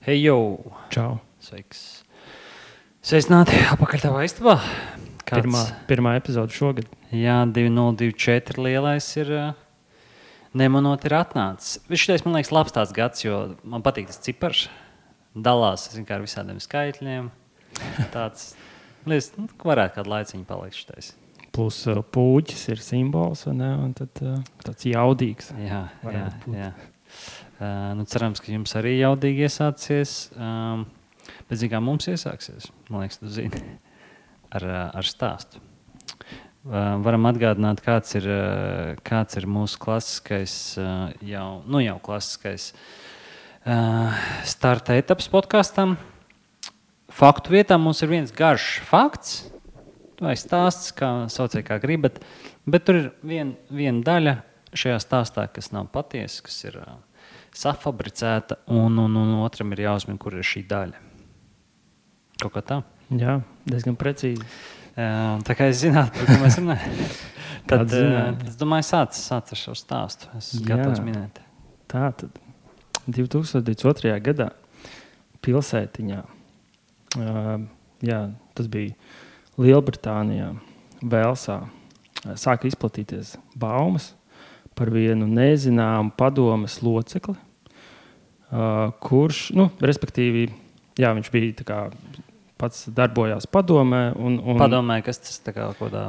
Hei, jau! Čau. Sveiks! Sveicināti apakaļ tavā istabā. Pirmā epizode šogad. Jā, 2024 lielais ir nemanot ir atnācis. Šitais, man liekas, labs tāds gads, jo man patīk tas cipars. Dalās, ar visādiem skaitļiem. Tāds, liekas, varētu kādu laiciņu palikt šitais. Plus pūķis ir simbols, vai ne? Un tad tāds jaudīgs. Jā. Cerams, ka jums arī jaudīgi iesācies. Bet kā mums iesāksies, man liekas, tu zini, ar stāstu. Varam atgādināt, kāds ir mūsu klasiskais, jau klasiskais starta etapas podkastam. Faktu vietā mums ir viens garš fakts, vai stāsts, kā sauciet, kā gribat, bet tur ir viena daļa šajā stāstā, kas nav patiesa, kas ir safabricēta, un otram ir jāuzmina, kur ir šī daļa. Kaut kā tā? Jā, diezgan precīzi. Tā kā es zinātu, par ko mēs runājam. Tad, es domāju, sāc ar šo stāstu. Es esmu gatavs minēt. Tā tad 2022. gadā pilsētiņā, tas bija Lielbritānijā, Velsā, sāka izplatīties baumas par vienu nezināmu padomes locekli, kurš, respektīvi, viņš bija tā kā pats darbojās padomē. Padomē, kas tas tā kā kādā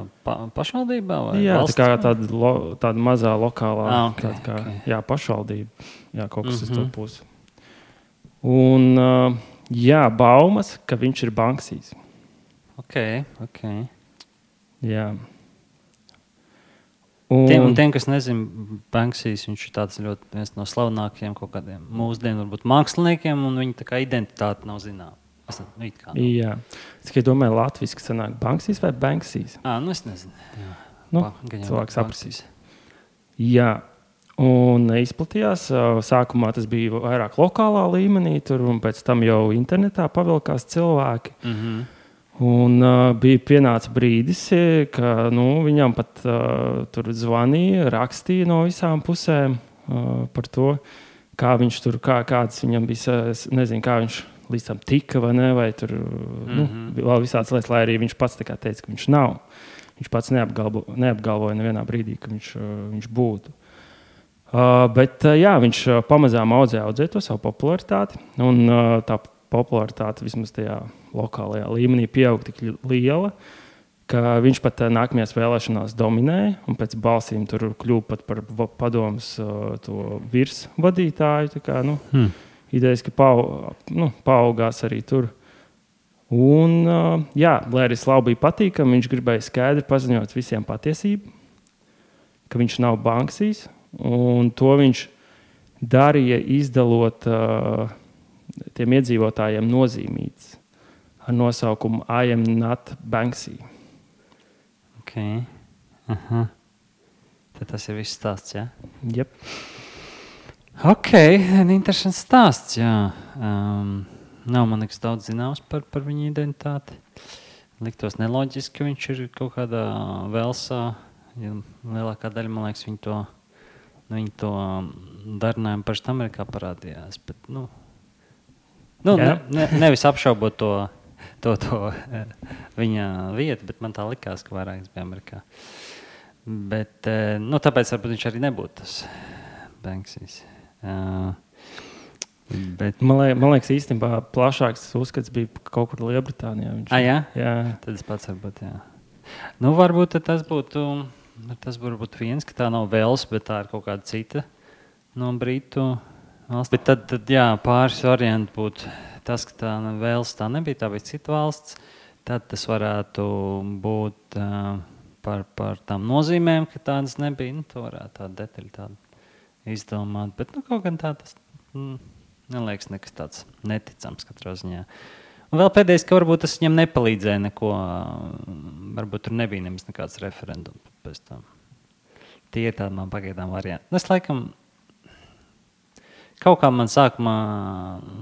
pašvaldībā vai valsts? Jā, tāda mazā lokālā okay. Pašvaldība. Jā, kaut kas uz to pusi. Un baumas, ka viņš ir Banksijs. Ok. Jā. Tiem, kas nezina, Banksijs, viņš ir tāds ļoti viens no slavenākajiem kaut kādiem mūsdienu, varbūt māksliniekiem, un viņa tā kā identitāte nav zināma. Jā. Es tikai domāju, latviski sanāk Banksijs vai Banksijs? Es nezinu. Cilvēks sapratīs. Jā. Un izplatījās. Sākumā tas bija vairāk lokālā līmenī, un pēc tam jau internetā pavilkās cilvēki. Un bija pienāca brīdis, ka viņam pat tur zvanīja, rakstīja no visām pusēm par to, kā viņš tur, kāds viņam bija, nezinu, kā viņš līdz tam tika vai ne, vai tur vēl visādas lietas, lai arī viņš pats tā kā teica, ka viņš nav. Viņš pats neapgalvoja nevienā brīdī, ka viņš būtu. Bet viņš pamazām audzēja to savu popularitāti, un tā popularitāte vismaz tajā lokālajā līmenī pieauga tik liela, ka viņš pat nākamajās vēlēšanās dominēja, un pēc balsīm tur kļuva pat par padomas to virsvadītāju, tā kā, idejas, ka paaugās arī tur. Un, lai arī slavu bija patīkami, viņš gribēja skaidri paziņot visiem patiesību, ka viņš nav Banksijs, un to viņš darīja izdalot tiem iedzīvotājiem nozīmītes ar nosaukumu I am not Banksy. Ok. Tad tas ir viss stāsts, jā? Jep. Ok, interesants stāsts, jā. Nav man nekas daudz zināms par viņa identitāti. Liktos neloģiski, ka viņš ir kaut kādā Velsā. Ja lielākā daļa, man liekas, viņi to darinājumu parasti Amerikā parādījās. Bet, nevis apšaubot to viņa vietu, bet man tā likās, ka vairāk bija Amerikā. Bet, tāpēc varbūt viņš arī nebūtu tas Banksijs. Bet man liekas, īstenībā plašāks uzskats bija kaut kur Lielbritānijā. Jā? Jā. Tad es pats varbūt, jā. Varbūt tas būtu viens, ka tā nav Vels, bet tā ir kaut kāda cita no Britu valsts. Bet tad pāris varianti būtu tas, ka tā Vels tā nebija, tā bija cita valsts. Tad tas varētu būt par tām nozīmēm, ka tādas nebija. To varētu tādu detaļu tādu izdomāt. Bet kaut gan tā tas neliekas nekas tāds neticams katrā ziņā. Un vēl pēdējais, ka varbūt tas viņam nepalīdzēja neko. Varbūt tur nebija nemaz nekāds referendums pēc tam. Tie ir tādi man pagaidām varianti. Es laikam kaut kā man sākumā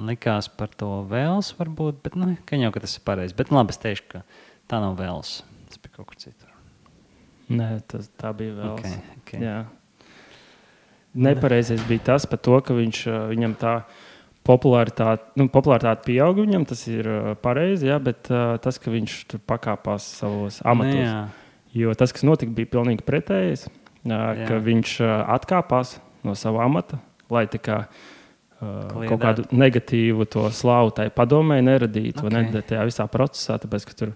likās par to Vels varbūt, bet ka jau, ka tas ir pareizi. Bet labi, es teikšu, ka tā nav Vels. Tas bija kaut kur citur. Nē, tā bija Vels. Okay. Jā. Nepareizais bija tas par to, ka viņam tā popularitāte pieaug viņam, tas ir pareizi, jā, bet tas, ka viņš tur pakāpās savos amatos. Jo tas, kas notika, bija pilnīgi pretējais, ka viņš atkāpās no sava amata, lai tā kā kaut kādu negatīvu to slavu tai padomē neradītu, vai ne, tajā visā procesā, tāpēc, ka tur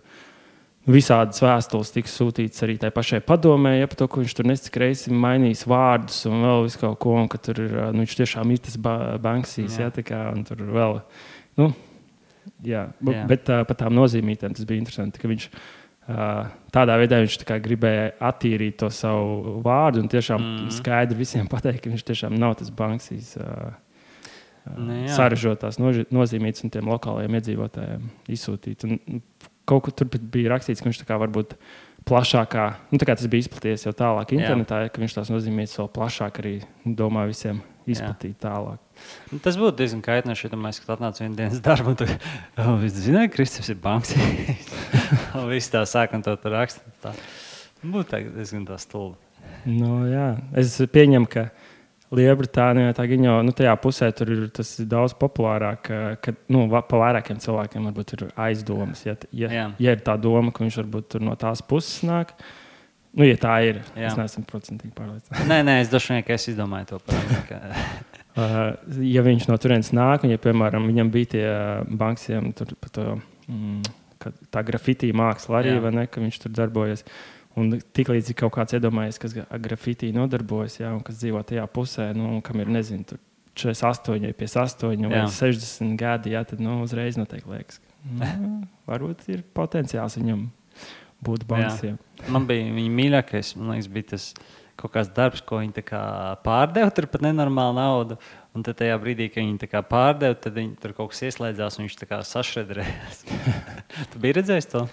visādas vēstules tika sūtītas arī tai pašai padomē, par to, ka viņš tur nesik reizes mainījis vārdus un vēl visu kaut ko, un ka tur ir, viņš tiešām ir tas Banksijs, tā kā, un tur vēl, bet par tām nozīmītēm tas bija interesanti, ka viņš tādā veidā viņš tā kā gribēja attīrīt to savu vārdu un tiešām skaidri visiem pateikt, ka viņš tiešām nav tas Banksijs sarežotās nozīmītas un tiem lokālajiem iedzīvotājiem izsūtīt. Un kaut kur tur bija rakstīts, ka viņš tā kā varbūt plašākā, tā kā tas bija izplatījies jau tālāk internetā, ka viņš tās nozīmītas vēl plašāk arī domā visiem izplatīt tālāk. Tas būtu diezgan kaitinoši, ja domāju, ka atnāca vienu dienas darbu un tu zināji, ka Kristaps ir Banksijs. Un viss tā sāk un to raksta. Būtu diezgan tā stulbi. Es pieņemu, ka Lielbritānijā tā jau tajā pusē tur ir tas daudz populārāk, ka pa vairākiem cilvēkiem varbūt ir aizdomas. Ja ir tā doma, ka viņš varbūt tur no tās puses nāk, ja tā ir, es neesmu procentīgi pārliecināts. Nē, es droši vien, ka es izdomāju to par. Ja viņš no turienes nāk, un ja, piemēram, viņam bija tie Banksiem tur par to, tā grafitī māksla arī, vai ne, ka viņš tur darbojas. Un tiklīdz ir kaut kāds iedomājies, kas grafitī nodarbojas, un kas dzīvo tajā pusē, kam ir, nezinu, tur 48, 58 vai 60 gadi, tad uzreiz noteikti liekas, ka varbūt ir potenciāls viņam būt Banksiem. Man bija viņa mīļākais, man liekas, bija tas kaut kāds darbs, ko viņi tā kā pārdeva tur pat nenormālu naudu. Un tad tajā brīdī, kad viņi tā kā pārdeva, tad viņi tur kaut kas ieslēdzās un viņš tā kā sašredrējās. Tu biji redzējis to?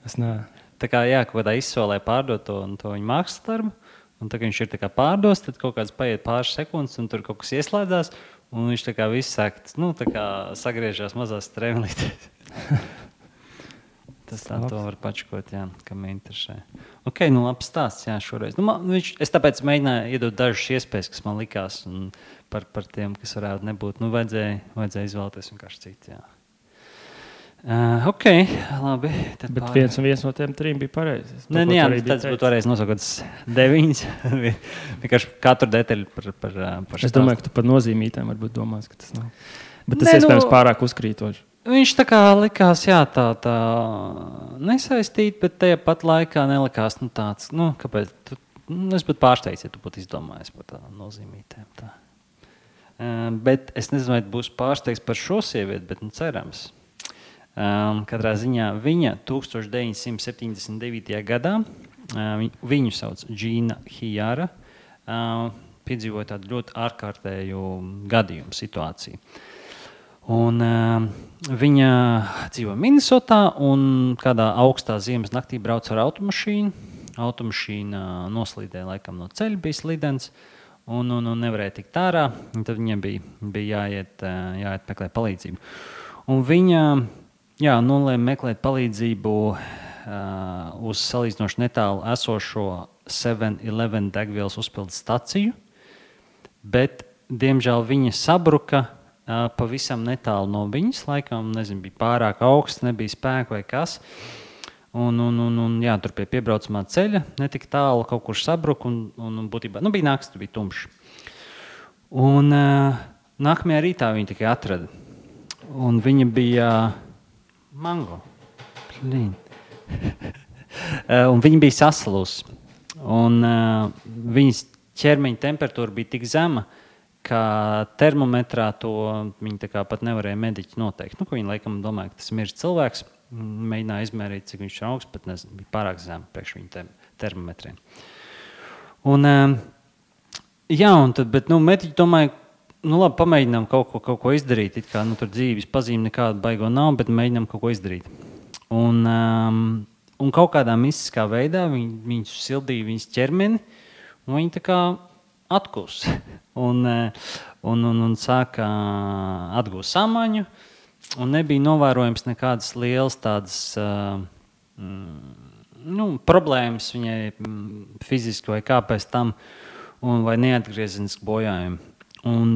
Es nē. Tā kā, kaut kādā izsolē pārdot to viņa mākslas darbu, un tā kā viņš ir tā kā pārdos, tad kaut kāds paiet pāris sekundes, un tur kaut kas ieslēdzās, un viņš tā kā viss sāk, tā kā sagriežās mazās strēmlītēs. Tas tā to var pačkot, kam interesē. Ok, labi stāsts, šoreiz. Es tāpēc mēģināju iedot dažas iespējas, kas man likās, un par tiem, kas varētu nebūt. Vajadzēja izvēlēties vienkārši citu, Ok, labi. Bet viens no tiem trim bija pareizs. Tas būtu varējis nosaukt 9. Vienkārši katru detaļu par es domāju, ka tu par nozīmītēm varbūt domās, ka tas nav. Bet tas iespējams pārāk uzkrītoši. Viņš tā kā likās, tā nesaistīt, bet tajā pat laikā nelikās tāds, kāpēc. Es būtu pārsteigts, ja tu būtu izdomājis par tādām nozīmītēm. Tā. Bet es nezinu, vai būs pārsteigts par šo sievieti, bet cerams. Katrā ziņā viņa 1979. gadā, viņu sauc Džīna Hijara, piedzīvoja tādu ļoti ārkārtēju gadījumu situāciju. Un, viņa dzīvo Minnesotā un kādā augstā ziemas naktī brauc ar automašīnu. Automašīna noslīdēja laikam no ceļa, bija slidens un nevarēja tikt ārā. Un tad viņai bija jāiet meklēt palīdzību. Un viņa nolēma meklēt palīdzību uz salīdzinoši netālu esošo 7-Eleven degvielas uzpildes staciju, bet, diemžēl, viņa sabruka pavisam netālu no viņas. Laikam, nezinu, bija pārāk augsts, nebija spēka vai kas. Un tur pie piebraucamā ceļa netika tālu, kaut kur sabruka un būtībā bija nakts, bija tumšs. Un nākamajā rītā viņa tikai atrada. Un viņa bija mango. Un viņa bija sasalusi. Un viņas ķermeņa temperatūra bija tik zema, ka termometrā to viņi tā kā pat nevarēja mediķi noteikt. Ko viņi laikam domāja, ka tas ir miris cilvēks. Mēģināja izmērīt, cik viņš ir augsts, bet nezinu, bija pārāk zem priekš viņa termometriem. Un, bet mediķi domāja, labi, pamēģinām kaut ko izdarīt. It kā tur dzīves pazīme nekāda baigo nav, bet mēģinām kaut ko izdarīt. Un kaut kādā mistiskā veidā viņi sildīja viņas ķermeni, un viņi tā kā atkus. Un sāka atgūst samaņu. Un nebija novērojams nekādas lielas tādas problēmas viņai fiziski vai kā pēc tam, vai neatgriezeniski bojājumi. Un,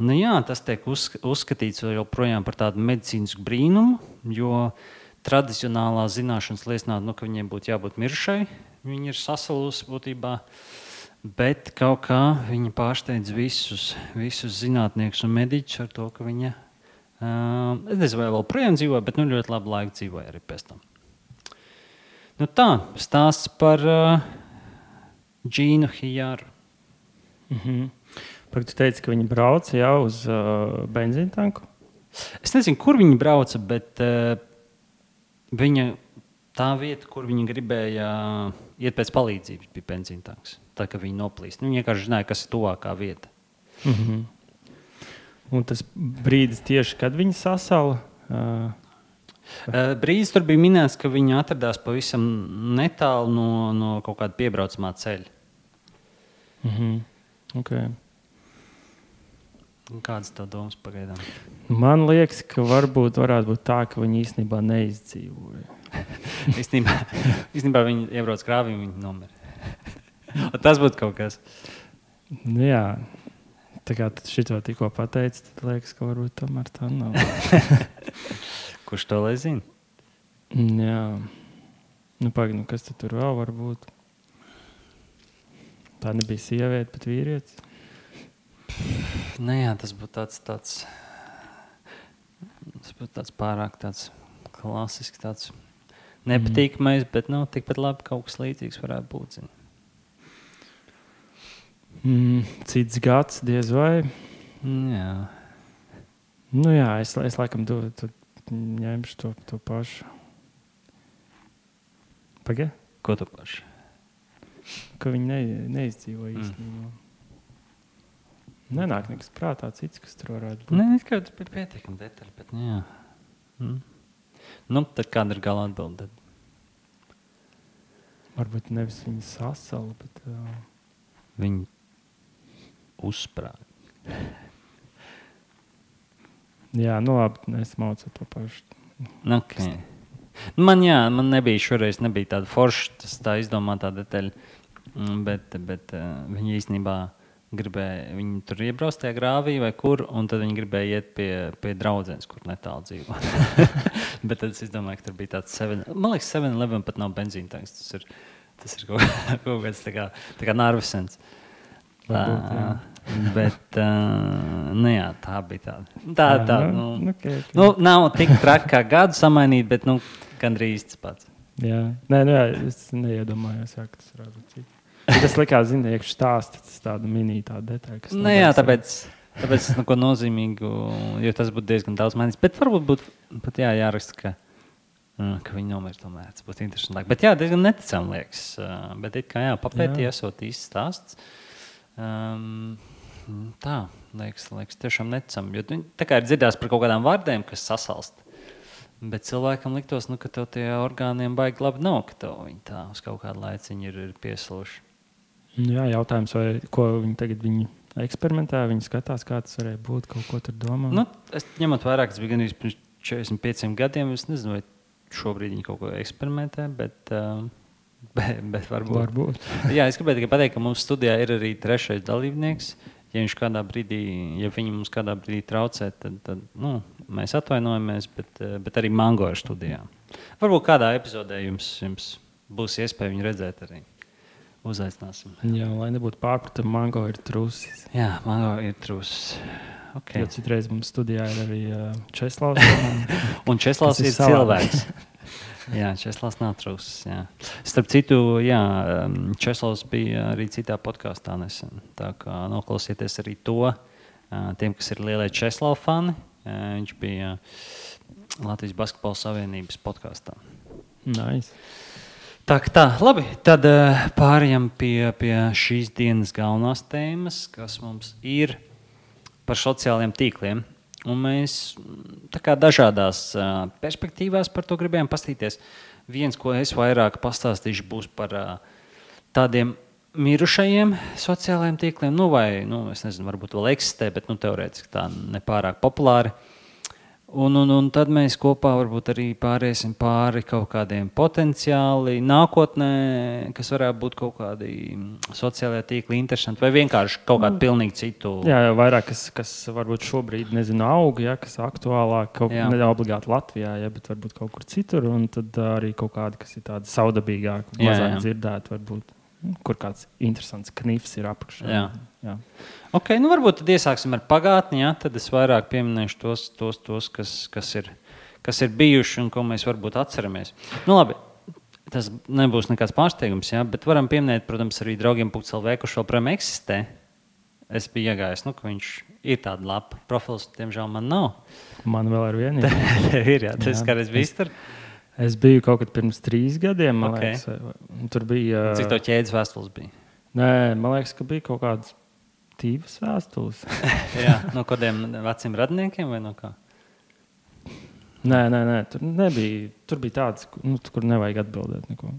nu jā, tas tiek uzskatīts joprojām par tādu medicīnisku brīnumu, jo tradicionālā zināšanas liecinātu, ka viņiem būtu jābūt mirušai. Viņa ir sasalusi būtībā, bet kaut kā viņa pārsteidz visus zinātniekus un mediķus ar to, ka viņa, es nezinu, vai vēl projām dzīvoja, bet ļoti labu laiku dzīvoja arī pēc tam. Nu tā, stāsts par Džīnu Hijaru. Tu teici, ka viņi brauca jau uz benzīna tanku? Es nezinu, kur viņi brauca, bet viņa tā vieta, kur viņi gribēja iet pēc palīdzības, bija benzīna tanks. Tā kā viņi noplīst. Viņi vienkārši zināja, kas ir tuvākā vieta. Un tas brīdis tieši, kad viņi sasala? Brīdis tur bija minēts, ka viņi atradās pavisam netālu no kaut kāda piebraucamā ceļa. Okay. Kādas tev domas pagaidām? Man liekas, ka varētu būt tā, ka viņi īstenībā neizdzīvoja. īstenībā viņi iebrauc krāvī un viņi nomira. Tas būtu kaut kas. Nu, jā, tā kā tu šito tikko pateici, tad liekas, ka varbūt tomēr tā nav. Kurš to lai zina? Jā. Nu, pagaidi, kas tur vēl var būt? Tā nebija sieviete, bet vīrietis. Nu jā, tas būtu tāds pārāk tāds klasisks, tāds nepatīkamais, bet tikpat labi kaut kas līdzīgs varētu būt. Cits gads, diez vai? Jā. Nu jā, es laikam ņemšu to pašu. Pagaid? Ko tu pašu? Ka viņi neizdzīvoja īstenībā. Nenāk nekas prātā cits, kas tur varētu būt. Nē, kā tas bija pietiekami detaļi, bet jā. Nu, tad kāda ir gala atbilde? Varbūt nevis viņi sasala, bet... Viņi uzsprāga. Jā, nu labi, es mācu to pašu. Okay. Man nebija šoreiz tāda forša, tā izdomātā detaļa, bet viņi īstenībā gribēja, viņi tur iebrauc tajā grāvī vai kur, un tad viņi gribēja iet pie draudzenes, kur netālu dzīvo. Bet tad es domāju, ka tur bija tāds 7-11, man liekas, 7-11 pat nav benzīna tanks. Tas ir kaut kāds tā kā Narvisens. Bet, nu jā, tā bija tāda. Okay. Nav tik traki kā gadu samainīt, bet gandrīz tas pats. Jā, es neiedomājos, ka tas varētu būt cits. Tas likās, iekšā stāstīt, tas tāda minīta detaļa. Jā, tāpēc es neko nozīmīgu, jo tas būtu diezgan daudz mainīts. Bet varbūt būtu pat jāraksta, ka viņi nomira tomēr. Tas būtu interesanti. Bet jā, diezgan neticami liekas. Bet it kā papētīja, esot īsts stāsts. Tā, liekas tiešām neticami. Jo tā kā ir dzirdēts par kaut kādām vārdiem, kas sasalst. Bet cilvēkam liktos, ka tev tie orgāniem baigi labi nav, ka tev viņi tā uz kaut kādu laiciņu ir piesluši. Jā, jautājums, vai ko viņi tagad eksperimentē, viņi skatās, kā tas varēja būt, kaut ko tur domā. Es ņemot vairāk, tas bija gan pirms 45 gadiem, es nezinu, vai šobrīd viņi kaut ko eksperimentē, bet varbūt. Jā, es gribēju tikai pateikt, ka mums studijā ir arī trešais dalībnieks. Ja viņi mums kādā brīdī traucē, tad mēs atvainojamies, bet arī Mango ir studijā. Varbūt kādā epizodē jums būs iespēja viņu redzēt arī. Uzaicināsim. Jā, lai nebūtu pārpratumi, Mango ir trusis. Jā, Mango ir trusis. Okay. Jo citreiz mums studijā ir arī Česlavs. Un Česlavs ir cilvēks. Jā, Česlavs nav trusis. Jā. Starp citu, Česlavs bija arī citā podkāstā nesen. Tā kā noklausieties arī to, tiem, kas ir lielie Česlava fani. Viņš bija Latvijas Basketbola Savienības podkāstā. Nice. Tā, labi, tad pārējām pie šīs dienas galvenās tēmas, kas mums ir par sociālajiem tīkliem. Un mēs tā kā dažādās perspektīvās par to gribējām pastīties. Viens, ko es vairāk pastāstīšu, būs par tādiem mirušajiem sociālajiem tīkliem, es nezinu, varbūt vēl eksistē, bet teorētiski tā nepārāk populāri. Un tad mēs kopā varbūt arī pāriesim pāri kaut kādiem potenciāli nākotnē, kas varētu būt kaut kādi sociālajā tīkli interesanti, vai vienkārši kaut kādu pilnīgi citu. Jā, vairāk, kas varbūt šobrīd, nezinu, aug, ja, kas aktuālāk, ne obligāti Latvijā, ja, bet varbūt kaut kur citur, un tad arī kaut kādi, kas ir tādi saudabīgāki, mazāk dzirdēti varbūt. Kur kāds interesants knifs ir apakšā. Jā. Ok, nu varbūt tad iesāksim ar pagātni, ja? Tad es vairāk pieminēšu tos kas ir bijuši un ko mēs varbūt atceramies. Nu labi, tas nebūs nekāds pārsteigums, ja? Bet varam pieminēt, protams, arī draugiem.lv, kurš vēl projām eksistē. Es biju iegājis, ka viņš ir tāda lapa. Profils, diemžēl, man nav. Man vēl ar vienu. Tev ir, jā. Tas kādreiz bijis tur? Es biju kaut kad pirms 3 gadiem, man liekas. Tur bija... Cik tev ķēdes vēstules bija? Nē, man liekas, ka bija kaut kādas 2 vēstules. Jā, no kādiem veciem radniekiem vai no kā? Nē, tur nebija. Tur bija tāds, kur nevajag atbildēt neko.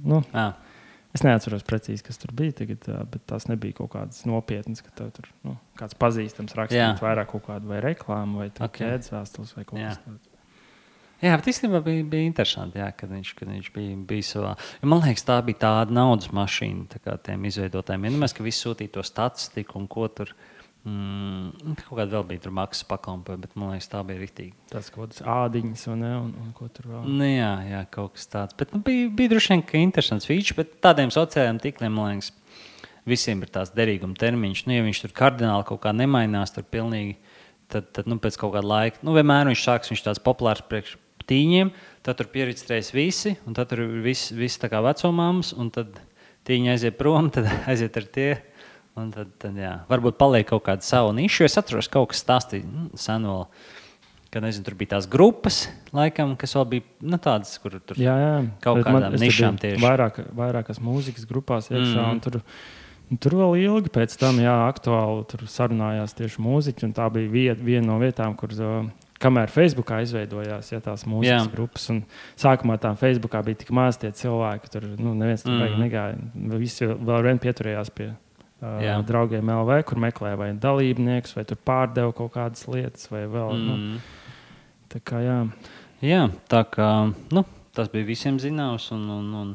Es neatceros precīzi, kas tur bija tagad, bet tās nebija kaut kādas nopietnas, ka tev tur kāds pazīstams rakstīt vairāk kaut kādu vai reklāmu vai ķēdes vēstules vai kaut kas tāds. Jā, bet īstenībā bija interesanti, jā, kad viņš bija savā. Man liekas, tā bija tāda naudas mašīna tā kā tiem izveidotājiem. Vienmēr, ka visi sūtīja to statistiku un ko tur. Kaut kāda vēl bija tur maksas pakalpojumi, bet man liekas, tā bija riktīgi. Tas kaut kāds ādiņas un ko tur vēl. Nu, jā, kaut kas tāds. Bet bija droši vien, ka interesants feature, bet tādiem sociālajiem tīkliem, man liekas, visiem ir tās derīguma termiņš. Ja viņš tur kardināli kaut kā nemainās, tur pilnīgi, tad pēc kaut kāda laika, vienmēr viņš tāds populārs priekš tīņiem, tad tur pieregistrējas visi, un tad tur ir visi tā kā vecumāmas, un tad tīņi aiziet prom, tad aiziet ar tie, un tad jā, varbūt paliek kaut kāda savu nišu. Es atceros, kaut kas stāstīja sen vēl, kad, nezinu, tur bija tās grupas, laikam, kas vēl bija, tādas, kur tur kaut kādām nišām tieši. Vairākas mūzikas grupās iekšā, un tur vēl ilgi pēc tam, aktuāli tur sarunājās tieši mūziķi, un tā bija viena no vietām, kur... Kamēr Facebookā izveidojās tās mūzikas grupas, un sākumā tām Facebookā bija tik maz tie cilvēki, tur neviens tur baigi negāja. Visi vēl vien pieturējās pie draugiem LV, kur meklēja vai dalībniekus, vai tur pārdeva kaut kādas lietas, vai vēl. Tā kā Jā, tā kā tas bija visiem zināms, un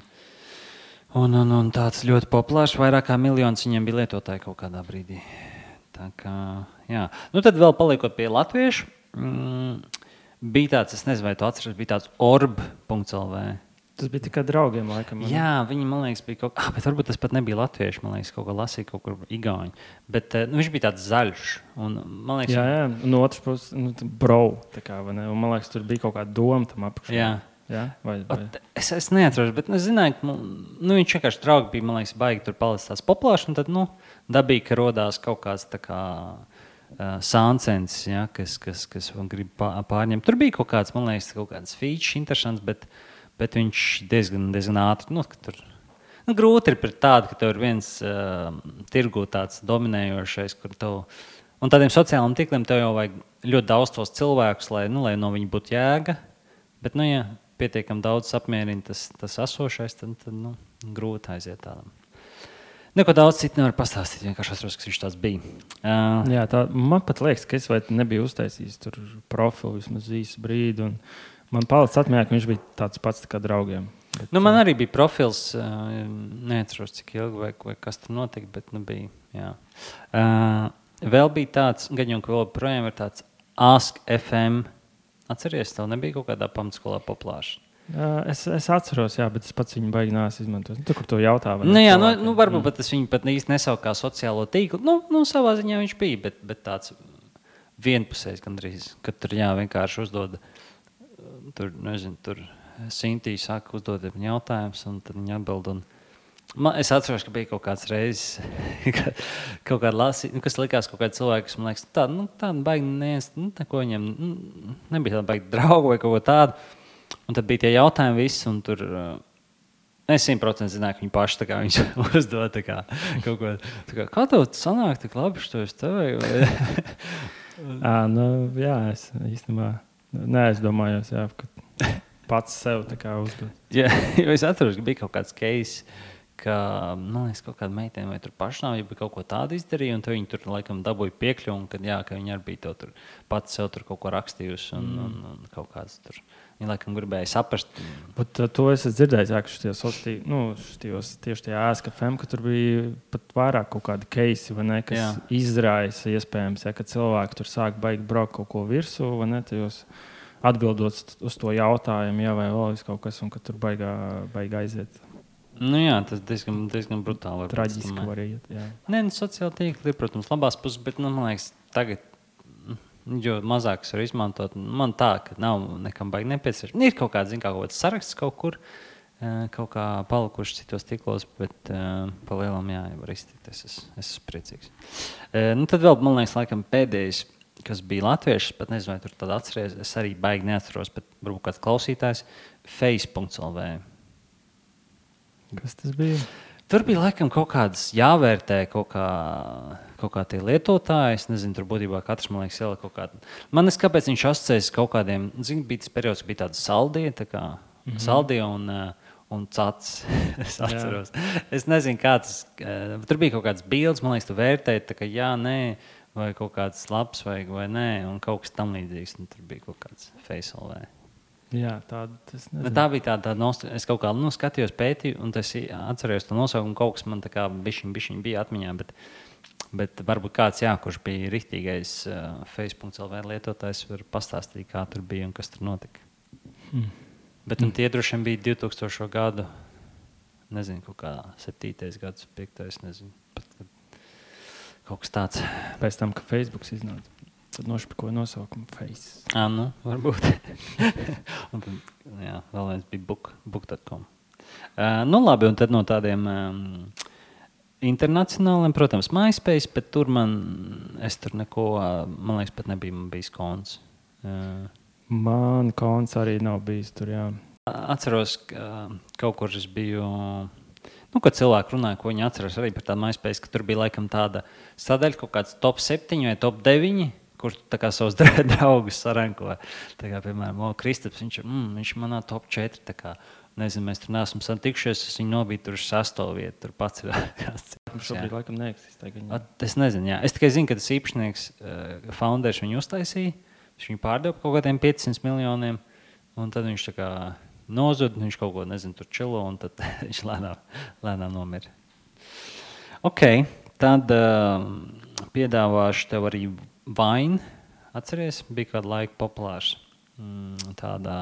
tāds ļoti populārs, vairāk kā miljons viņiem bija lietotāji kaut kādā brīdī. Tā kā, jā. Tad vēl paliekot pie latviešu. Bija tāds, es nezinu, vai tu atceries, bija tāds orb.lv. Tas bija tikai draugiem, laikam. Jā, viņi, man liekas, bija kaut bet varbūt tas pat nebija latvieši, man liekas, kaut ko lasīja, kaut kur igauņi. Bet viņš bija tāds zaļš. Un, man liekas, jā, no otras puses, brau, tā kā, vai ne? Un, man liekas, tur bija kaut kāda doma tam apakšā. Jā. Vai? Es neatceros, bet es zināju, ka viņš vienkārši draugi bija, man liekas, baigi tur palicis tās populārs, un tad, dabīgi, ka rodās kaut kāds tā kā sāncens, kas grib pārņemt. Tur bija kaut kāds, man liekas, kaut kāds feature interesants, bet viņš diezgan ātri, tur grūti ir pret tādu, ka tev ir viens tirgu tāds dominējošais, kur tev, un tādiem sociāliem tīkliem tev jau vajag ļoti daudz tos cilvēkus, lai no viņa būtu jēga, bet, ja pietiekam daudz apmierina tas esošais, tad grūti aiziet tādam. Neko daudz citu nevar pastāstīt, vienkārši atceros, kas viņš tāds bija. Jā, man pat liekas, ka es nebiju uztaisījis tur profilu vismaz īsu brīdi, un man palicis atmiņā, ka viņš bija tāds pats kā draugiem. Bet, man arī bija profils, neatceros, cik ilgi vai kas tur notika, bet bija, jā. Vēl bija tāds, gan jau, ka vēl projām ir tāds Ask FM. Atceries, tev nebija kaut kādā pamatskolā populārs? Es atceros, bet es pats viņu baigi neesmu izmantojis. Tur, kur to jautā. Varbūt pat es viņu pat īsti nesaucu kā sociālo tīklu. Savā ziņā viņš bija, bet tāds vienpusējs gandrīz, kad tur vienkārši uzdod, tur Sintī saka uzdod viņu jautājumus, un tad viņi atbild. Es atceros, ka bija kaut kāds reizes, kaut kāda lasīja, kas likās kaut kāda cilvēka, kas man liekas, tāda baigi neviens, ko viņam, nebija tāda baigi draugu vai kaut ko tādu. Un tad bija tie jautājumi visi, un tur es 100% zināju, ka viņi paši tā kā viņš uzdod kaut ko. Kā tev sanāk tik labi, što es tev? Jā, es īstenībā neaizdomājos, ka pats sev tā kā uzdod. Jā, jo es atceros, ka bija kaut kāds case, man liekas, kaut kāda meitene vai tur pašnāvība kaut ko tādu izdarīja, un viņi tur laikam dabūja piekļuvi, un ka viņi arī bija to tur pats sev tur kaut ko rakstījusi, un kaut kāds tur. Viņi laikam gribēja saprast. Bet to es dzirdēju, tieši tajā ēskafēm, ka tur bija pat vairāk kaut kādi keisi, vai ne, kas izraisa iespējams, ka cilvēki tur sāk baigi braukt kaut ko virsū, vai ne, tajos atbildot uz to jautājumu, vai vēl kaut kas, un ka tur baigi aiziet. Nu jā, tas diezgan brutāli. Traģiski var iet, jā. Nē, sociāli tīkli ir, protams, labās puses, bet, man liekas, tagad, jo mazāk es varu izmantot, man tā, ka nav nekam baigi nepieciešams. Ir kaut kāds saraksts kaut kur, kaut kā palikuši citos tīklos, bet pa lielam var iztikt. Es esmu priecīgs. Tad vēl, man liekas, laikam pēdējais, kas bija latvieši, pat nezinu, vai tur tad atceries, es arī baigi neatceros, bet varbūt kāds klausītājs, face.lv. Kas tas bija? Tur bija laikam kaut kādas jāvērtē, kaut kā tie lietotāji. Es nezinu, tur būtībā katrs, man liekas, ielika kaut kādu. Man liekas, kāpēc viņš asociējas kaut kādiem, bija tas periods, kad bija tāda saldie, saldie un cats. Es atceros. Es nezinu, kā tas, tur bija kaut kāds bildes, man liekas, tu vērtēji, tā kā jā, nē, vai kaut kāds labs vajag vai nē, un kaut kas tam līdzīgs, un tur bija kaut kāds face.lv. Jā, tā bija tāda es kaut kā skatījos, pētīju, un es atcerējos to nosaukumu. Kaut kas man tā kā bišķiņ bija atmiņā, bet varbūt kāds, kurš bija riktīgais face.lv lietotājs, var pastāstīt, kā tur bija un kas tur notika. Bet tie droši vien bija 2000. gadu, nezinu, kaut kā 7. gads, 5. nezinu, pat kaut kas tāds. Pēc tam, ka Facebooks iznāca. Tad nošpikoja nosaukumu Face. Varbūt. Un tad, vēl viens bija book.com. Labi, un tad no tādiem internacionāliem, protams, MySpace, bet tur es tur neko, man liekas, pat nebija man bijis konts. Man konts arī nav bijis tur, jā. Atceros, ka kaut kur es biju, kad cilvēki runāja, ko viņi atceras arī par tādu MySpace, ka tur bija laikam tāda sadaļa, kaut kāds top 7 vai top 9, kur tā kā savus draugus saranko. Tā kā, piemēram, Kristaps, viņš manā top 4, tā kā, nezinu, mēs tur neesam satikšies, es viņu nobīju tur uz 6. vietu, tur pats ir kāds. Šobrīd laikam neeksistē. Es nezinu, jā. Es tikai zinu, ka tas īpašnieks, founders viņu uztaisīja, viņš pārdeva kaut kādiem 500 miljoniem, un tad viņš tā kā nozud, viņš kaut ko, nezinu, tur čilo, un tad viņš lēnām nomira. Ok, tad piedāvāšu tev arī Vine, atceries, bija kādu laiku populārs. Tādā,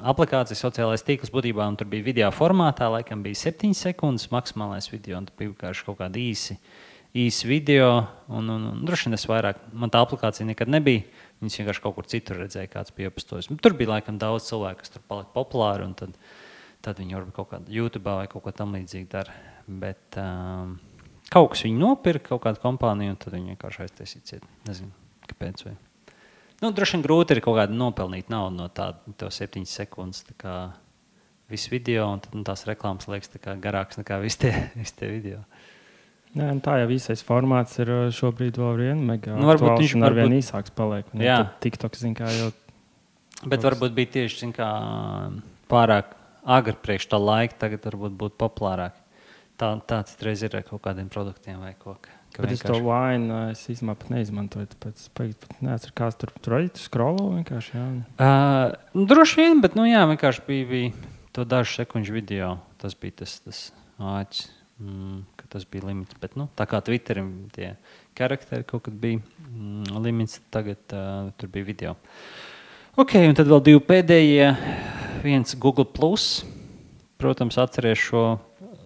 aplikācija sociālais tīkls būtībā, un tur bija video formātā, laikam bija 7 sekundes maksimālais video, un tur bija vienkārši kaut kādi īsi video, un droši vien es vairāk, man tā aplikācija nekad nebija, viņas vienkārši kaut kur citur redzēja, kāds bija iepostojis. Tur bija laikam daudz cilvēku, kas tur palika populāri, un tad viņi varbūt kaut kādā YouTube vai kaut ko tam līdzīgi dara, bet kaut kas viņu nopirka, kaut kādu kompāniju, un tad viņi vienkārši aiztaisīja ciet. Nezinu, kāpēc vai. Droši vien grūti ir kaut kādu nopelnīt naudu no to 7 sekundes, tā kā visu video, un tad tās reklāmas liekas tā kā garāks nekā visi tie video. Nē, tā jau īsais formāts ir šobrīd vēl vien mega aktuāls un arvien īsāks paliek. Tad TikTok, kā jau... Bet varbūt bija tieši, kā pārāk agri priekš tā laika, tagad varbūt būtu populārāk. Tā citreiz ir ar kaut kādiem produktiem vai ko. Bet es to Vine īstenībā pat neizmantoju, tāpēc pat neatceru, kāds tur arī tu scrollo vienkārši, jā. Droši vien, bet, vienkārši bija to dažu sekundžu video. Tas bija tas āķis, ka tas bija limits. Bet, tā kā Twitterim tie karakteri kaut kad bija limits, tagad tur bija video. Ok, un tad vēl 2 pēdējie. Viens Google+. Protams, atceries šo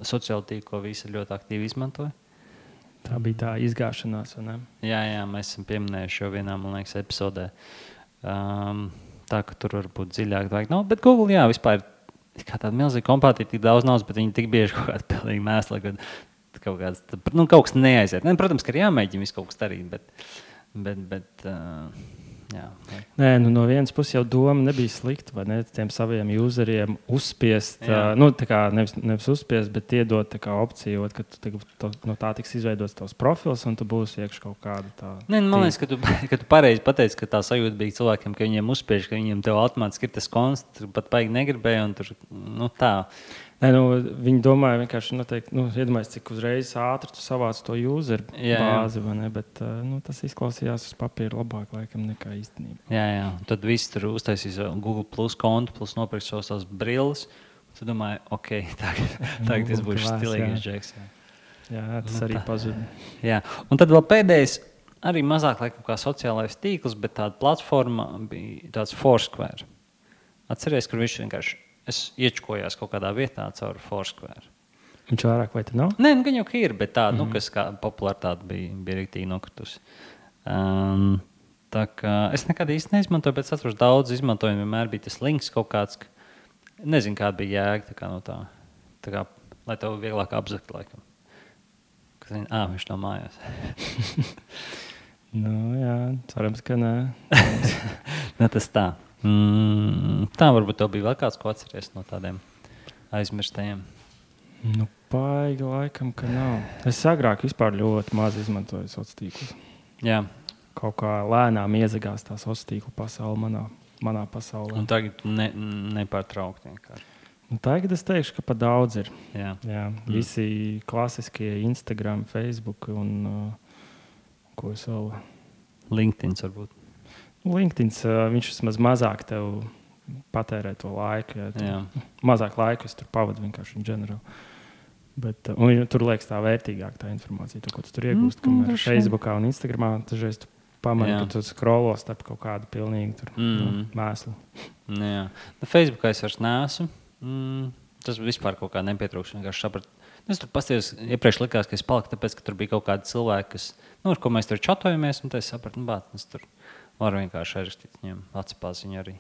sociālo tīklu, visi ļoti aktīvi izmantoja. Tā bija tā izgāšanās, vai ne? Jā, mēs esam pieminējuši jau vienā, man liekas, epizodē. Tā, ka tur varbūt dziļāk vajag. Bet Google, vispār ir kā tāda milzīga kompānija, tik daudz naudas, bet viņi tik bieži kaut kāda pilnīgi mēsla, kaut kas neaiziet. Protams, ka ir jāmēģina visu kaut kas darīt, bet jā. Nē, no vienas puses jau doma nebija slikta, vai ne, tiem saviem useriem uzspiest, tā kā nevis uzspiest, bet iedot tā kā opciju, ka no tā tiks izveidots tavs profils, un tu būsi iekš kaut kāda tā... Nē, man liekas, ka tu pareizi pateici, ka tā sajūta bija cilvēkiem, ka viņiem uzspiež, ka viņiem tev automātiski ir tas konts, tur pat paigi negribēja, un tur, tā... Nē, viņi domāja vienkārši, iedomājies, cik uzreiz ātri tu savāc to user bāzi, vai ne? Bet tas izklausījās uz papīra labāk laikam nekā īstenībā. Jā. Tad viss tur uztaisīs Google Plus kontu, plus nopirks savas brilles. Tu domāji, ok, tagad tas būs stilīgais džeks. Jā, tas arī pazuda. Jā, un tad vēl pēdējais, arī mazāk laikam kā sociālais tīkls, bet tāda platforma bija tāds Foursquare. Atceries, kur viņš vienkārši iečkojās kaut kādā vietā caur Foursquare. Viņš vairāk vai te nav? Nē, gan jau ir, bet tāda, kas kā popularitāte bija rīktīgi nokritusi. Tā kā es nekad īsti neizmantoju, bet es atceros daudz izmantoju, vienmēr bija tas links kaut kāds, nezinu, kāda bija jēga tā kā, lai tev vieglāk apzakt laikam. Viņš nav mājās. Jā, cerams, ka nē. Tas tā. Tā varbūt tev bija vēl kāds, ko atceries no tādiem aizmirstajiem. Paigi laikam, ka nav. Es agrāk vispār ļoti maz izmantoju sociālos tīklus. Jā. Kaut kā lēnām iezagās tā sociālo tīklu pasaule manā pasaulē. Un tagad nepārtraukti vienkārši. Tagad es teikšu, ka pat daudz ir. Jā. Visi klasiskie Instagram, Facebook un ko es vēl? LinkedIn varbūt. LinkedIn, viņš vismaz mazāk tev patērē to laiku. Mazāk laika es tur pavadu vienkārši in general. Bet, tur liekas tā vērtīgāk tā informācija, to, ko tu tur iegūst. Kamēr Facebookā un Instagramā dažreiz tu pamani, ka tu scrollo starp kaut kādu pilnīgi tur mēslu. Jā. Facebookā es vairs neesmu. Tas vispār kaut kā nepietrūkst. Vienkārši sapratu. Es tur paskatījos, iepriekš likās, ka es paliku, tāpēc, ka tur bija kaut kādi cilvēki, ar ko mēs tur čatojamies, un es sapratu, es tur varu vienkārši ierakstīt viņiem atspaziņu arī.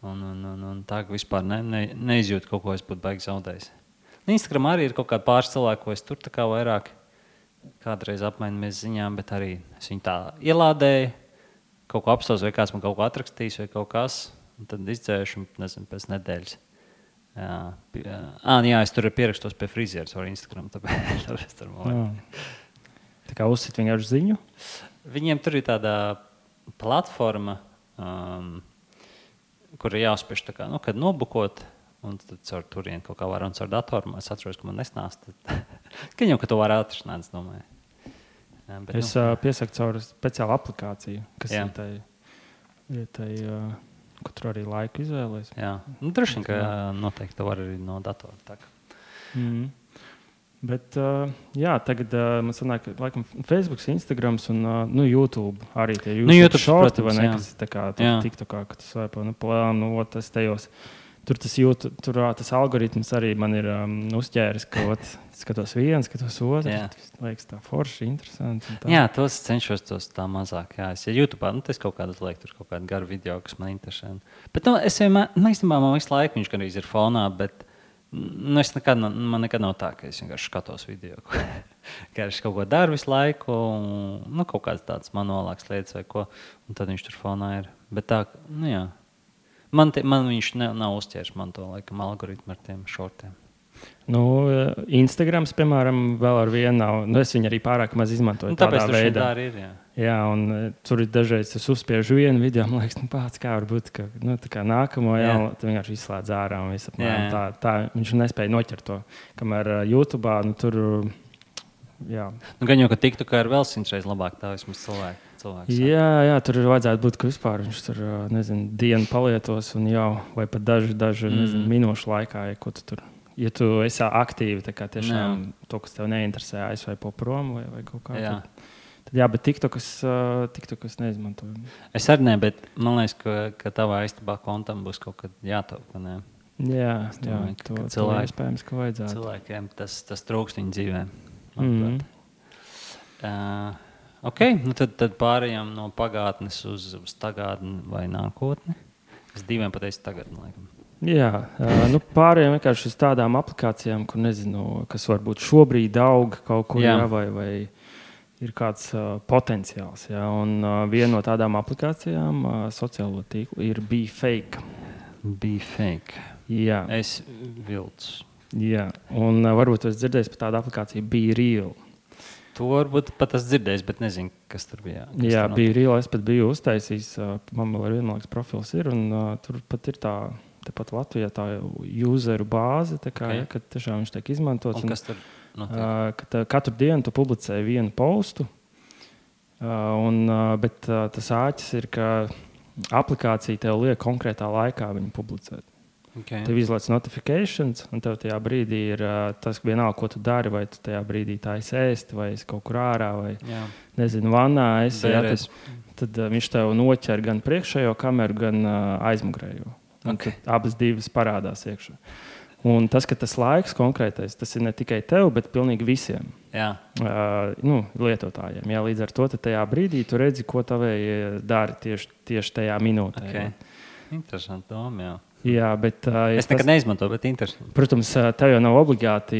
Un tā, ka vispār neizjūtu kaut ko, es būtu baigi zaudējis. Instagram arī ir kaut kādi pāris cilvēki, ko es tur tā kā vairāk kādreiz apmainamies ziņām, bet arī es viņu tā ielādēju, kaut ko apstāstu, vai kāds man kaut ko atrakstīs, vai kaut kas, un tad izdzēšu, nezinu, pēc nedēļas. Jā, es tur pierakstos pie frizieres ar Instagram, tāpēc tur Tā kā uzsit vienkārši ziņu? Viņiem tur ir tāda platforma, kur ir jāuzspiež tā kā, kad nobukot, un tad caur turien kaut kā var un caur datoru. Es atceros, ka man nesnāst. Ka jau, ka to var atrisināt, es domāju. Bet, es piesaku caur speciālu aplikāciju, kas ir tai ka tur arī laiku izvēlēs. Jā, droši vien, ka noteikti to var arī no datora. Bet, tagad man sanāk, ka laikam Facebook, Instagrams un YouTube arī tie YouTube shorti, vai ne, kas tā kā TikTokā, ka tu svaipo, tas tajos. Tur tas algoritms arī man ir uzķēris, ka skatos vienu, skatos otru. Liekas tā forši, interesanti. Jā, tos cenšos tos tā mazāk. Jā, es YouTube, tas kaut kādas liek, tur kaut kādu garu video, kas man interesē. Bet es vienmēr, īstenībā man visu laiku viņš gan ir fonā, bet man nekad nav tā, ka es vienkārši skatos video. Ka es kaut ko daru visu laiku, kaut kādas tādas manuālākas lietas vai ko, un tad viņš tur fonā ir. Bet tā, jā. Man viņš nav uzķēris man to laikam algoritmu ar tiem šortiem. Instagrams, piemēram, vēl ar vienu nav. Es viņu arī pārāk maz izmantoju tādā veidā. Tāpēc tā arī ir, Jā, un tur ir dažreiz es uzspiežu vienu video, man liekas, pats kā varbūt, ka tā kā nākamo tu vienkārši izslēdz ārā un viss apmēram tā. Viņš nespēja noķert to. Kamēr YouTube'ā, tur, jā. Gan jau, ka TikTokā ir vēl 100 reizes labāk tā vismaz cilvēki. Jā, tur vajadzētu būt, ka vispār viņš tur, dienu palietos un jau, vai pat daži minūšu laikā, ja tu esi aktīvi, tā kā tiešām to, kas tev neinteresē, aizvaipo prom vai kaut kā. Tad bet TikTokas neizmantoju. Es arī ne, bet man liekas, ka tavā istabā kontam būs kaut kad jātaup, ne? Jā, to iespējams, ka vajadzētu. Cilvēkiem tas trūkst viņu dzīvē. Ok, tad pārējām no pagātnes uz tagadni vai nākotni. Es diviem pateicu tagadni, laikam. Jā, pārējām vienkārši uz tādām aplikācijām, kur nezinu, kas varbūt šobrīd aug kaut kur, vai ir kāds potenciāls. Jā, un viena no tādām aplikācijām sociālo tīklu ir BeFake. BeFake. Jā. Es vilcu. Jā, un varbūt es dzirdēju par tādu aplikāciju BeReal. To varbūt pat es dzirdēju, bet nezinu, kas tur bija. Jā, BeReal es pat biju uztaisījis. Man vēl ar vienu profils ir, un tur pat ir tā tepat Latvijā tā useru bāze, kad tiešām viņš tiek izmantots. Un kas tur notiek? Katru dienu tu publicē vienu postu, bet tas āķis ir, ka aplikācija tev liek konkrētā laikā viņu publicēt. Okay. Tev izlaiž notifications, un tev tajā brīdī ir tas vienalga, ko tu dari, vai tu tajā brīdī taisi ēst, vai esi kaut kur ārā, vai, nezinu, vannā esi. Tad viņš tev noķer gan priekšējo kameru, gan aizmugurējo. Okay. Abas divas parādās iekšā. Un tas, ka tas laiks konkrētais, tas ir ne tikai tev, bet pilnīgi visiem lietotājiem. Jā, līdz ar to tajā brīdī tu redzi, ko tavēji dari tieši tajā minūtē. Okay. Interesanti doma, jā. Jā, bet, es nekad neizmantoju, bet interesanti. Protams, tev jau nav obligāti.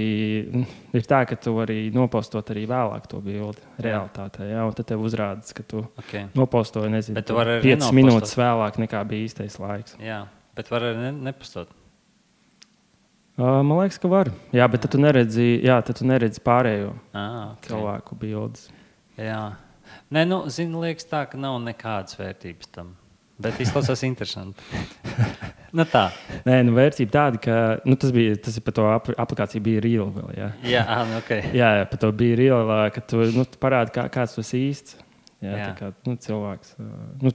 Ir tā, ka tu vari nopostot arī vēlāk to bildi realitātē. Jā, un tad tev uzrādās, ka tu nopostoji, nezinu, 5 minūtes vēlāk nekā bija īstais laiks. Jā, bet var arī nepostot. Man liekas, ka var. Jā, bet tad tu neredzi pārējo cilvēku bildes. Jā. Nē, liekas tā, ka nav nekādas vērtības tam. Bet izklausās interesanti. Tā. Nē, vērtība tāda, ka tas ir par to aplikāciju bija Reel vēl, jā. Okay. Jā, par to bija Reel, ka tu parādi, kāds tu esi īsts. Jā. Tā kā cilvēks.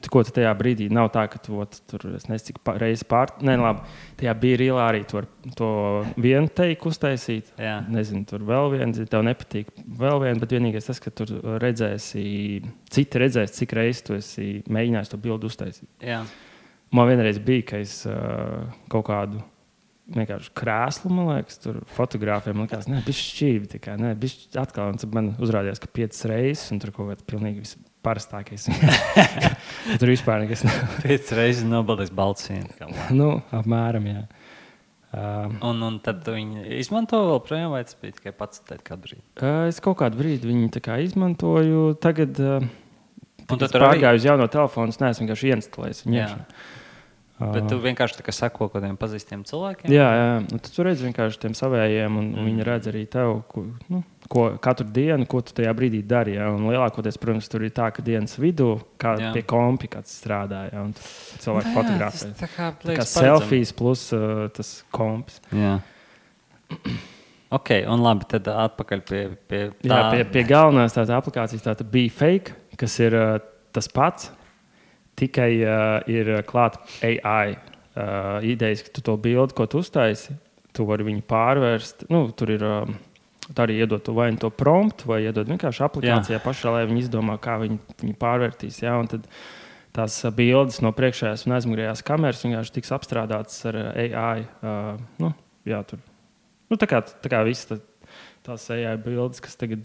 Ko tu tajā brīdī nav tā, ka tu tur, es nezinu, cik reizes tajā bija Reel arī to vienu teiku uztaisīt. Jā. Nezinu, tur vēl viens, tev nepatīk vēl viens, bet vienīgais tas, ka tur citi redzēs, cik reizes tu esi mēģinājis to bildu uztaisīt. Jā. Man vienreiz bija, ka es kaut kādu vienkārši krēslu, man liekas, tur fotogrāfiem likās, bišķi šķīvi, bišķi atkal, un man uzrādījās, ka 5 reizes, un tur kaut kāds pilnīgi parastākais. Tur vispār nekas nav. 5 reizes nobaldījis baltsīnu. Apmēram, jā. Un tad viņi izmanto vēl projām, vai tas bija tikai pats kādu brīdi? Es kaut kādu brīdi viņu tā kā izmantoju, tagad es pārgāju uz jauno telefonu, es neesmu vienkārši ieinstalējis viņu. Bet tu vienkārši sako kādiem pazīstiem cilvēkiem? Jā. Tad tu redzi vienkārši tiem savējiem, un viņi redz arī tev, katru dienu, ko tu tajā brīdī dari. Ja? Un lielākoties, protams, tur ir tā, ka dienas vidū, pie kompi kāds strādā, ja? Un cilvēki fotografē. Tā kā selfies plus tas kompis. Jā. Ok, un labi, tad atpakaļ pie tā. Jā, pie galvenās tāda aplikācijas tāda bija fake, kas ir tas pats. Tikai ir klāta AI idejas, ka tu to bildi, ko tu uztaisi, tu vari viņu pārvērst. Tur ir arī iedot vai to promptu, vai iedot vienkārši aplikācijā pašā, lai viņi izdomā, kā viņi pārvērtīs. Jā, un tad tās bildes no priekšējās un aizmugurējās kameras vienkārši tiks apstrādātas ar AI. Tā kā visas tās AI bildes, kas tagad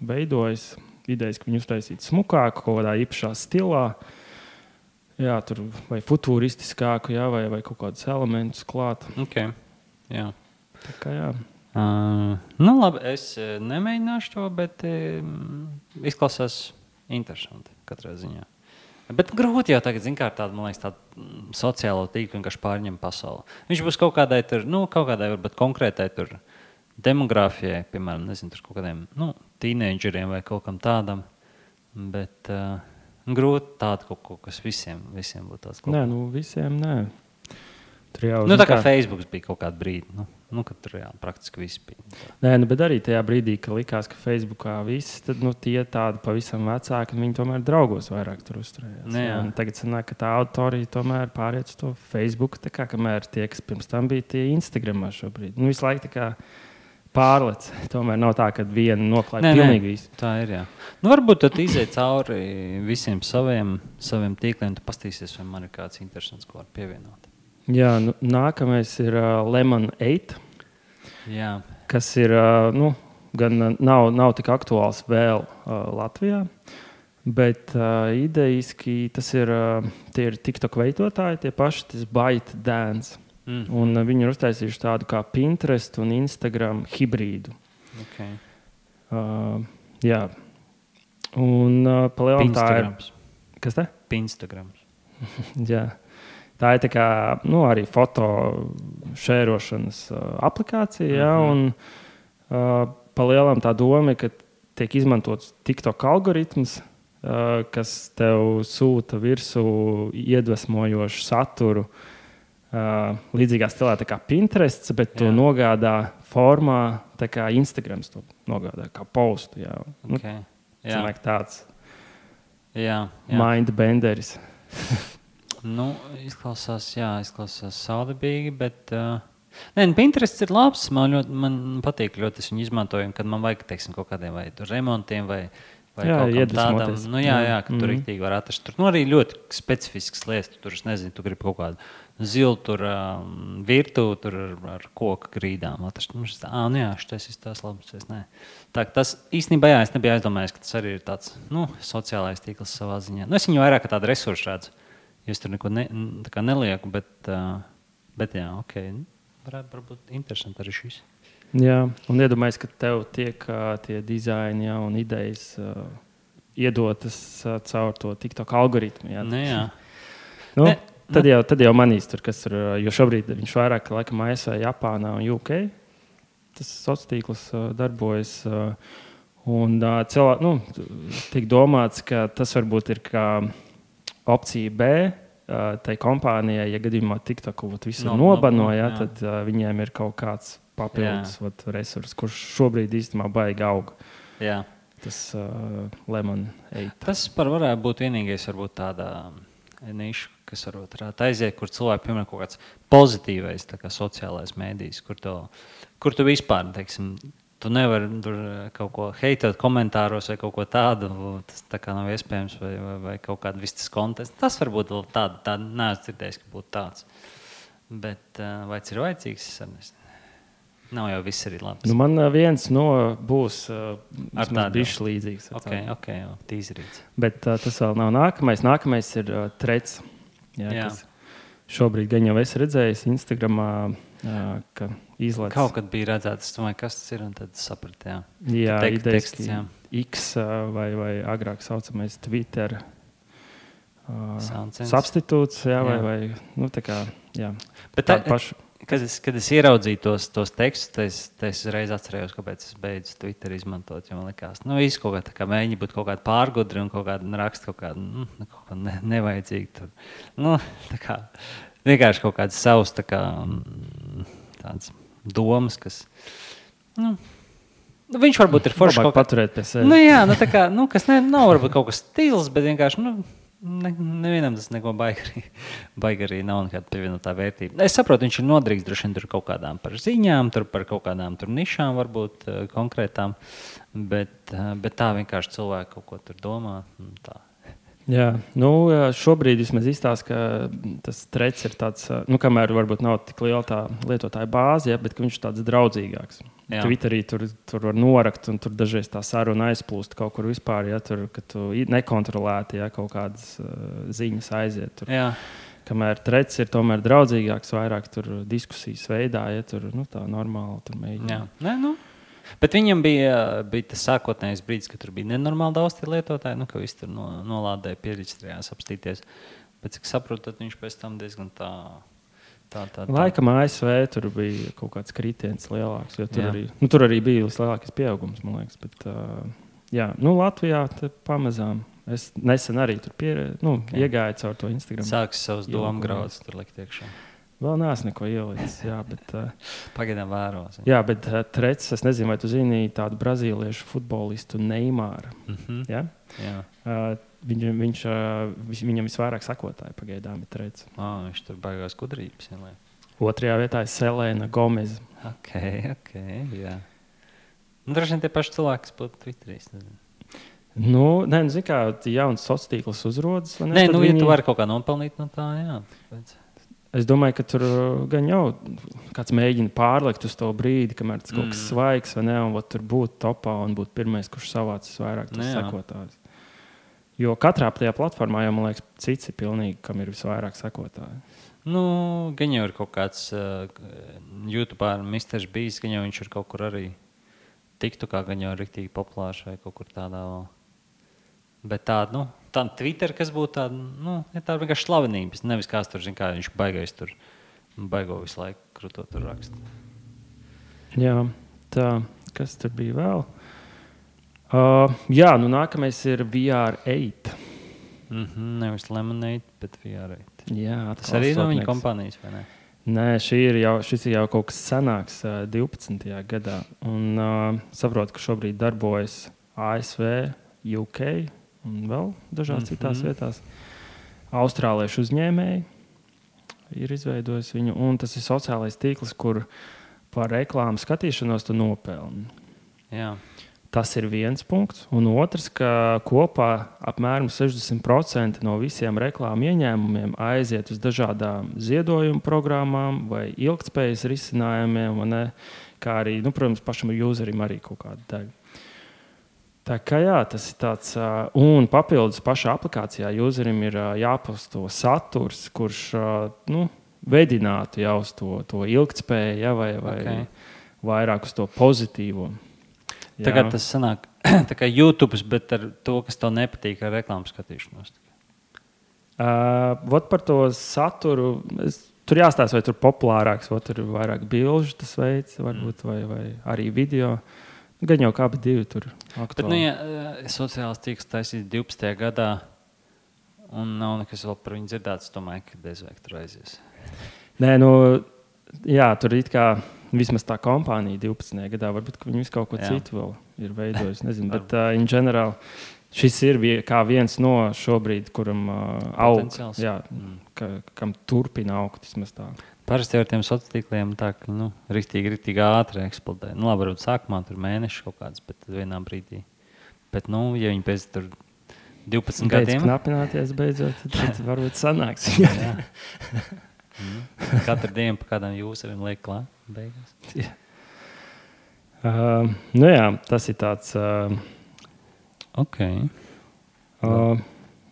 veidojas, idejas, ka viņi uztaisītu smukāku, kaut kādā īpašā stilā. Jā, tur vai futūristiskāku, vai kaut kādus elementus klāt. Okay. Jā. Tā kā jā. Labi, es nemēģināšu to, bet izklausās interesanti katrā ziņā. Bet grūti jau tagad, tāda, man liekas, tāda sociālo tīklu vienkārši pārņem pasauli. Viņš būs kaut kādai tur, varbūt konkrētai tur demogrāfijai, piemēram, nezinu, tur kaut kādiem, tīneidžeriem vai kaut kam tādam, bet grūti tādu kaut ko, kas visiem būtu tāds kaut. Nē, visiem nē. Tur jau, tā kā Facebooks bija kaut kādu brīdi, kad tur praktiski viss bija. Nē, bet arī tajā brīdī, ka likās, ka Facebookā viss, tad tie tādi pavisam vecāki, viņi tomēr draugos vairāk tur uzturējās. Tagad sanāk, ka tā auditorija tomēr pāriet uz to Facebook, tā kā kamēr tie, kas pirms tam bija tie Instagramā šobrīd. Visu laiku tā kā pārlec. Tomēr nav tā, ka viena noklāja pilnīgi visu. Tā ir, jā. Varbūt tad iziet cauri visiem saviem tīkliem, tu pastīsies, vai man ir kāds interesants, ko var pievienot. Jā, nākamais ir Lemon 8, kas ir, gan nav tik aktuāls vēl Latvijā, bet idejiski tie ir TikTok veidotāji, tie paši, tas ByteDance. Un viņi ir uztaisījuši tādu kā Pinterest un Instagram hibrīdu. Okay. Jā. Un palielam tā ir... Kas te? Pinstagrams. Jā. Tā ir tā kā, arī foto šērošanas aplikācija, un palielam tā doma, ka tiek izmantots TikTok algoritms, kas tev sūta virsū iedvesmojošu saturu, līdzīgā stilā tā kā Pinterest, bet to nogādā formā, tā kā Instagrams to nogādā, kā postu. Jā. Okay. Cilvēki tāds jā. mindbenderis. Izklausās saudabīgi, bet... Pinterest ir labs, man patīk ļoti, es viņu izmantoju, kad man vajag, teiksim, kaut kādiem vai remontiem vai kaut kam tādam. Ka tur riktīgi var atrast. Tur arī ļoti specifisks lietas, tur, es nezinu, tu gribi kaut kādu zilu tur virtuvi, tur ar koka grīdām atrast. Šitais ir tās labs, Tā, tas īstenībā, es nebiju aizdomājies, ka tas arī ir tāds, sociālais tīkls savā ziņā. Es viņu vairāk kā tādu resursu redzu, jo es tur neko nelieku, bet varētu būt interesanti arī šis. Jā, un iedomājies, ka tev tiek tie dizaini un idejas iedotas caur to TikTok algoritmu. Jā. Tad jau manīs tur, kas tur, jo šobrīd viņš vairāk laikam ASV, Japānā un UK. Tas sociālais tīkls darbojas. Un tiek domāts, ka tas varbūt ir kā opcija B. Tai kompānijai, ja gadījumā TikToku visur nobanoja, tad viņiem ir kaut kāds papildus resurs, kurš šobrīd īstenībā baigi aug. Jā. Tas lemon eight. Tas varētu būt vienīgais, varbūt tāda niša, kas varētu aiziet, kur cilvēki, piemēram, kaut kāds pozitīvais sociālais mēdījis, kur tu vispār, teiksim, tu nevari tur kaut ko heitot komentāros vai kaut ko tādu, tas tā kā nav iespējams, vai kaut kādu vistas kontestu. Tas varbūt vēl tādu neesmu dzirdējis, ka būtu tāds. Bet vai tas ir vajadzīgs? Nav jau viss arī labs. Man viens būs bišķi līdzīgs. Ok, tīzerīts. Bet tas vēl nav nākamais. Nākamais ir Threads. Jā. Kas šobrīd gan jau esi redzējis Instagramā, ka izlaiž. Kaut kad bija redzēts, es domāju, kas tas ir, un tad sapratu, jā, teksts, X vai agrāk saucamais Twitter substitūts, vai tā kā, jā. Bet tā pašu. Kad es ieraudzīju tos tekstus, es reiz atcerējos, kāpēc es beidzu Twitter izmantot, jo man likās, viss kaut kā tā kā mēģina būt kaut kāda pārgudri un kaut kāda raksta kaut kāda nevajadzīga tur. Tā kā vienkārši kaut kāds savs tāds domas, kas, viņš varbūt ir forši kaut kā paturēt pie sevi. Kas nav varbūt kaut kas stils, bet vienkārši, nevienam tas neko baigi arī nav nekāda pievienotā vērtība. Es saprotu, viņš ir noderīgs droši vien tur kaut kādām par ziņām, tur par kaut kādām tur nišām varbūt konkrētām, bet tā vienkārši cilvēki kaut ko tur domā. Tā. Jā, šobrīd vismaz izstāsta, ka tas Threads ir tāds, kamēr varbūt nav tik liela tā lietotāja bāze, bet viņš ir tāds draudzīgāks. Twitterī tur var norakt, un tur dažreiz tā saruna aizplūst kaut kur vispār, ka tu nekontrolēti, kaut kādas ziņas aiziet. Tur. Kamēr Threads ir tomēr draudzīgāks, vairāk tur diskusijas veidā, tur tā normāli tur mēģina. Bet viņam bija tas sākotnējais brīdis, ka tur bija nenormāli daudz tie lietotāji, ka viss tur nolādēja, pieregistrējās apstīties. Bet, cik saprotu, tad viņš pēc tam diezgan tā. Laikam ASV tur bija kaut kāds kritiens lielāks, jo tur arī bija lielākais pieaugums, man liekas. Bet, Latvijā pamazām. Es nesen arī tur iegāju caur to Instagram. Sāks savus domu graudus tur likt iekšā. Vēl neesmu neko ielicis, bet... Pagaidām vēros. Jā, bet Threads, es nezinu, vai tu zini tādu brazīliešu futbolistu Neymaru. Ja? Jā. Viņam visvairāk sakotāji pagaidām ir Threads. Viņš tur baigās gudrības. Otrajā vietā ir Selena Gomez. Ok, jā. Droši vien tie paši cilvēki, kas būtu Twitterī. Zini kā, jauns sociāls tīkls uzrodas. Ja tu vari kaut kā nopelnīt no tā, jā. Es domāju, ka tur gan jau kāds mēģina pārlikt uz to brīdi, kamēr tas kaut kas svaigs vai ne, un tur būt topā un būt pirmais, kurš savācis vairāk sekotājus. Jo katrā tajā platformā jau, man liekas, cits ir pilnīgi, kam ir visvairāk sekotāji. Gan jau ir kaut kāds YouTuber Mr. Beast, gan jau viņš ir kaut kur arī TikTokā, gan jau ir riktīgi populārs vai kaut kur tādā vēl. Bet tāda, tāda Twitter, kas būtu tāda, tāda vienkārši slavenības. Nevis kāds tur, kā viņš baigais tur, baigo visu laiku krūtot tur rakstu. Jā, tā, kas tur bija vēl? Nākamais ir VR8. Nevis Lemonade, bet VR8. Jā, tas arī no viņa kompānijas, vai ne? Nē, šis ir jau kaut kas senāks, 12. gadā. Un saprotu, ka šobrīd darbojas ASV, UK un vēl dažās citās vietās. Austrāliešu uzņēmēji ir izveidojis viņu, un tas ir sociālais tīkls, kur par reklāmu skatīšanos tu nopelni. Jā. Tas ir viens punkts. Un otrs, ka kopā apmēram 60% no visiem reklāmu ieņēmumiem aiziet uz dažādām ziedojumu programmām vai ilgtspējas risinājumiem, kā arī, protams, pašam userim arī kaut kāda daļa. Tā kā jā, tas ir tāds, un papildus pašā aplikācijā userim ir jāposto saturs, kurš vedinātu jau uz to ilgtspēju vai vairāk uz to pozitīvo. Jā. Tagad tas sanāk tā kā YouTube, bet ar to, kas tev nepatīk ar reklāmu skatīšanos. Par to saturu, tur jāstāsta, vai tur populārāks, vai tur ir vairāk bilžu tas veids, varbūt, vai arī video. Gan jau kā divi tur aktuāli. Bet, sociālās tīkls taisīs 12. gadā, un nav nekas vēl par viņu dzirdēts, domāju, ka bezvēk tur aizies. Nē, jā, tur it kā vismaz tā kompānija 12. gadā, varbūt viņi visu kaut ko citu vēl ir veidojusi, nezinu, bet in general šis ir kā viens no šobrīd, kuram aug, kam turpina augt vismaz tā. Parasti ar tiem sociāliem tīkliem tā, ka riktīgi ātri eksplodē. Labi, varbūt sākumā tur mēneši kaut kāds, bet tad vienā brīdī. Bet, ja viņi pēc tur 12 gadiem... Beidz knapināties beidzot, tad varbūt sanāks. Katru dienu pa kādām useriem liek klāt beigās. Jā, tas ir tāds... Ok.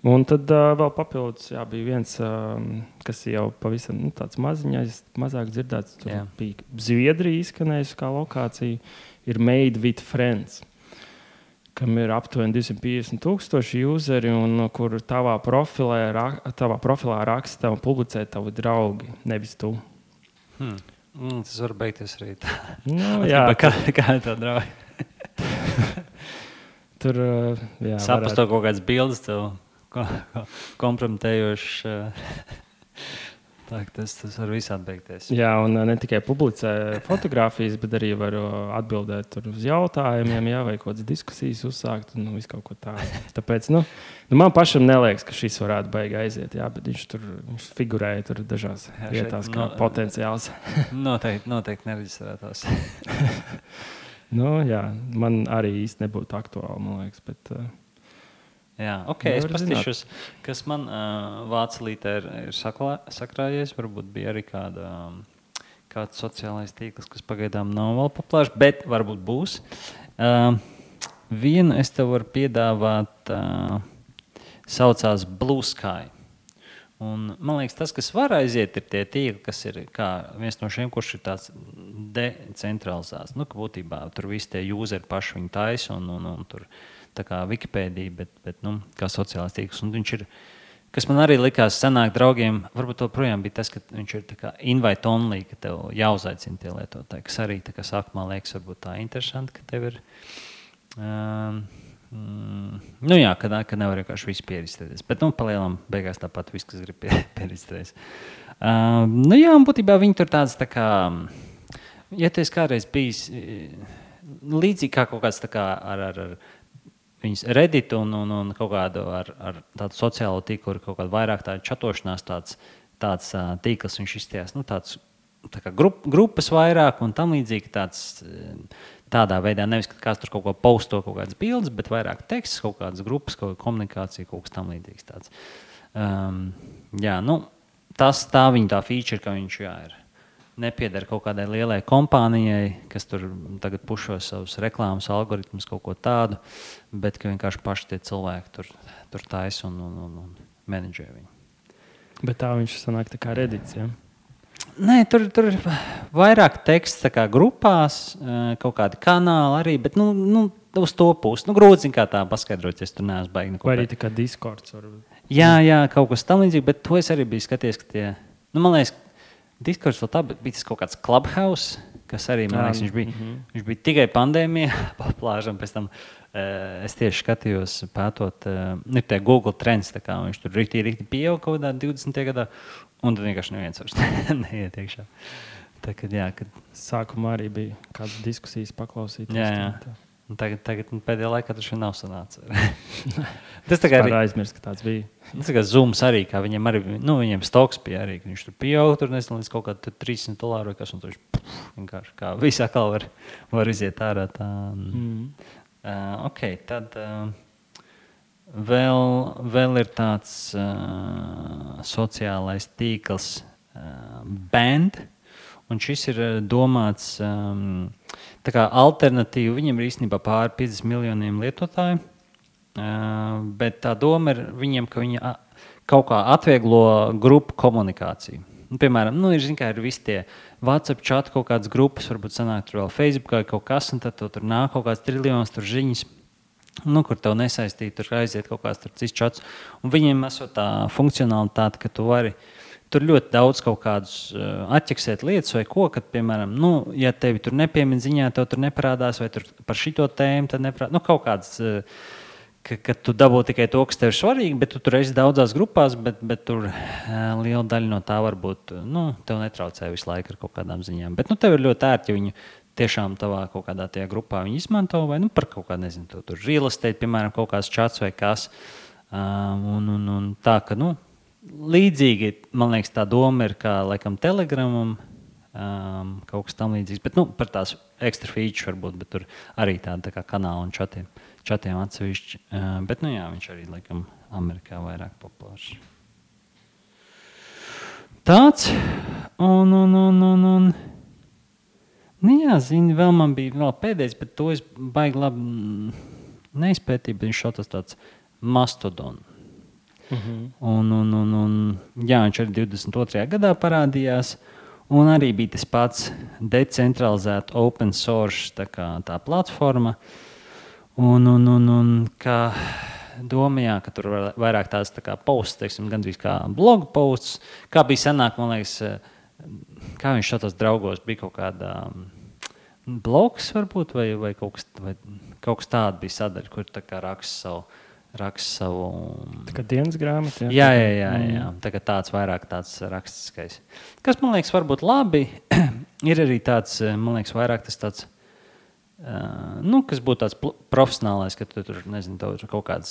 Un tad vēl papildus bija viens, kas jau pavisam tāds maziņais, mazāk dzirdēts. Tur bija Zviedrija izskanējusi kā lokācija, ir Made with Friends, kam ir aptuveni 250,000 useri, un kur tavā profilā raksta un publicē tavi draugi, nevis tu. Tas var beigties arī tā. Jā. Kā tā draugi? Tur, saprast to kaut kāds bildes tev kompromitējošs. Tas var visādi beigties. Jā, un ne tikai publicē fotogrāfijas, bet arī var atbildēt uz jautājumiem, vai kaut kādas diskusijas uzsākt un visu kaut ko tādu. Tāpēc, man pašam neliekas, ka šis varētu baigi aiziet, bet viņš figurēja tur dažās vietās kā potenciāls. Noteikti nereģistrētās. Jā, man arī īsti nebūtu aktuāli, man liekas, bet... Jā, ok, es pastīšos, kas man vācu lītē ir sakrājies. Varbūt bija arī kāds sociālais tīkls, kas pagaidām nav vēl populārs, bet varbūt būs. Vienu es tev varu piedāvāt, saucās Blue Sky. Un, man liekas, tas, kas var aiziet, ir tie tīkli, kas ir kā viens no šiem, kurš ir tāds decentralizēts. Ka būtībā tur visi tie useri paši viņu taisa un tur tā kā Wikipēdija, bet kā sociālais tīkls. Un viņš ir, kas man arī likās senāk draugiem, varbūt to projām bija tas, ka viņš ir tā kā invite only, ka tev jāuzaicina tie lietotāji, kas arī tā kā sākumā liekas varbūt tā interesanti, ka tev ir, ka nevar vienkārši visu pierģistrēties. Bet, palielam beigās tāpat viss, kas grib pierģistrēties. Un būtībā viņi tur tāds tā kā, ja tu esi kādreiz bijis līdzīgi kā kaut kāds tā kā ar viņas Reddit un kaut kādu ar tādu sociālo tīklu, kaut kādu vairāk tādu čatošanās, tāds tīkls viņš izstījās, tāds tā kā grupas vairāk un tam līdzīgi tādā veidā, nevis, ka kāds tur kaut ko posto, kaut kādas bildes, bet vairāk teksts, kaut kādas grupas, kaut kāda komunikācija, kaut kas tam līdzīgs tāds. Tā viņa tā feature, ka viņš ir. Nepieder kaut kādai lielai kompānijai, kas tur tagad pušo savus reklāmas algoritmus, kaut ko tādu, bet ka vienkārši paši tie cilvēki tur taisa un menedžē viņu. Bet tā viņš sanāk tā kā Reddits, ja? Nē, tur ir vairāk teksts tā kā grupās, kaut kādi kanāli arī, bet uz to pusi. Grūti kā tā paskaidrot, ja tur neesmu baigi neko. Vai arī tā kā Discords varbūt. Jā, kaut kas tam līdzīgi, bet to es arī biju skaties, ka tie, man liekas, Discords vēl tā, bet bija tas kaut kāds Clubhouse, kas arī, man liekas, viņš bija tikai pandēmijā pa plāžam. Pēc tam es tieši skatījos, pētot, ir tie Google trends, tā kā viņš tur rītī pieauga kaut kādā 20. gadā, un tad vienkārši neviens vairs neiet iekšā. Tā, kad sākumā arī bija kādas diskusijas paklausīt. Jā. Tagad pēdējā laikā tas nav sanācis. Tas tā kā arī aizmirst, ka tāds bija. Tas kā Zooms arī, kā viņiem arī, viņiem stoks bija arī, ka viņš tur pieauga, tur nezinu, līdz kaut kādu $300 vai kas, un tur vienkārši kā visā kā var iziet ārā tā. Ok, tad vēl ir tāds sociālais tīkls Band, un šis ir domāts tā kā alternatīva. Viņam ir īstenībā pāri 50 miljoniem lietotāju, bet tā doma ir viņiem, ka viņi kaut kā atvieglo grupu komunikāciju. Piemēram, ir visi tie WhatsApp chati, kaut kādas grupas, varbūt sanāk tur vēl Facebookā kaut kas, un tad tur nāk kaut kāds triljons tur ziņas, kur tev nesaistīt, tur aiziet kaut kāds tur cits chats. Un viņiem esot tā funkcionalitāte, ka tu vari tur ļoti daudz kaut kādus atķeksēt lietas vai ko, kad, piemēram, ja tevi tur nepiemin ziņā, tev tur neparādās, vai tur par šito tēmu, tad neparādās. Kaut kāds, ka tu dabū tikai to, kas tev ir svarīgi, bet tu tur esi daudzās grupās, bet tur liela daļa no tā varbūt, tev netraucē visu laiku ar kaut kādām ziņām. Bet tev ir ļoti ērti, ja viņu tiešām tavā kaut kādā tajā grupā viņi izmanto, vai par kaut kādu, nezinu, tur real estate, piemēram, kaut kāds chats vai kas. Un tā, ka, līdzīgi, man liekas, tā doma ir kā, laikam, Telegramam, kaut kas tam līdzīgs, bet, par tās ekstra feature varbūt, bet tur arī tāda tā kā kanāla un čatiem atsevišķi, bet, jā, viņš arī, laikam, Amerikā vairāk populārs. Tāds, un, jā, zini, vēl man bija vēl pēdējais, bet to es baigi labi neizpētīju, bet viņš šautas tāds Mastodon. Un, jā, viņš arī 22. gadā parādījās, un arī bija tas pats decentralizēta open source tā platforma. Un kā domājā, ka tur vairāk tās tā kā posts, teiksim, gandrīz kā blogu posts, kā bija senāk, man liekas, kā viņš šādos draugos bija kaut kādā blogs varbūt, vai kaut kas tāda bija sadaļa, kur tā kā raksta savu... Tā kā dienas grāmata, jā. Jā. Tāds vairāk tāds rakstiskais. Kas, man liekas, varbūt labi, ir arī tāds, man liekas, vairāk tas tāds, kas būtu tāds profesionālais, ka tu tur, nezinu, tev kaut kāds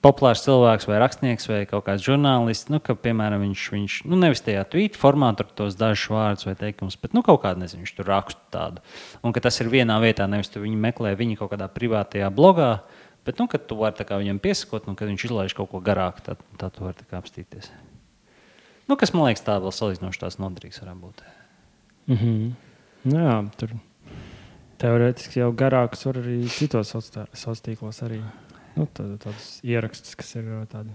populārs cilvēks vai rakstnieks vai kaut kāds žurnālists, ka, piemēram, viņš nevis tajā tweet formātu ar tos dažus vārdus vai teikumus, bet, kaut kādu, nezinu, viņš tur rakstu tādu. Un ka tas ir vienā vietā, nevis tu viņu meklē viņa kaut kādā privātajā blogā, bet, kad tu vari viņam piesakot, un kad viņš izlaiž kaut ko garāku, tad tu vari apstīties. Kas, man liekas, tā vēl salīdzinoši tās noderīgs varētu būt. Jā, tur teorētiski jau garākus var arī citos sociālos arī. Tādus ierakstus, kas ir tādi.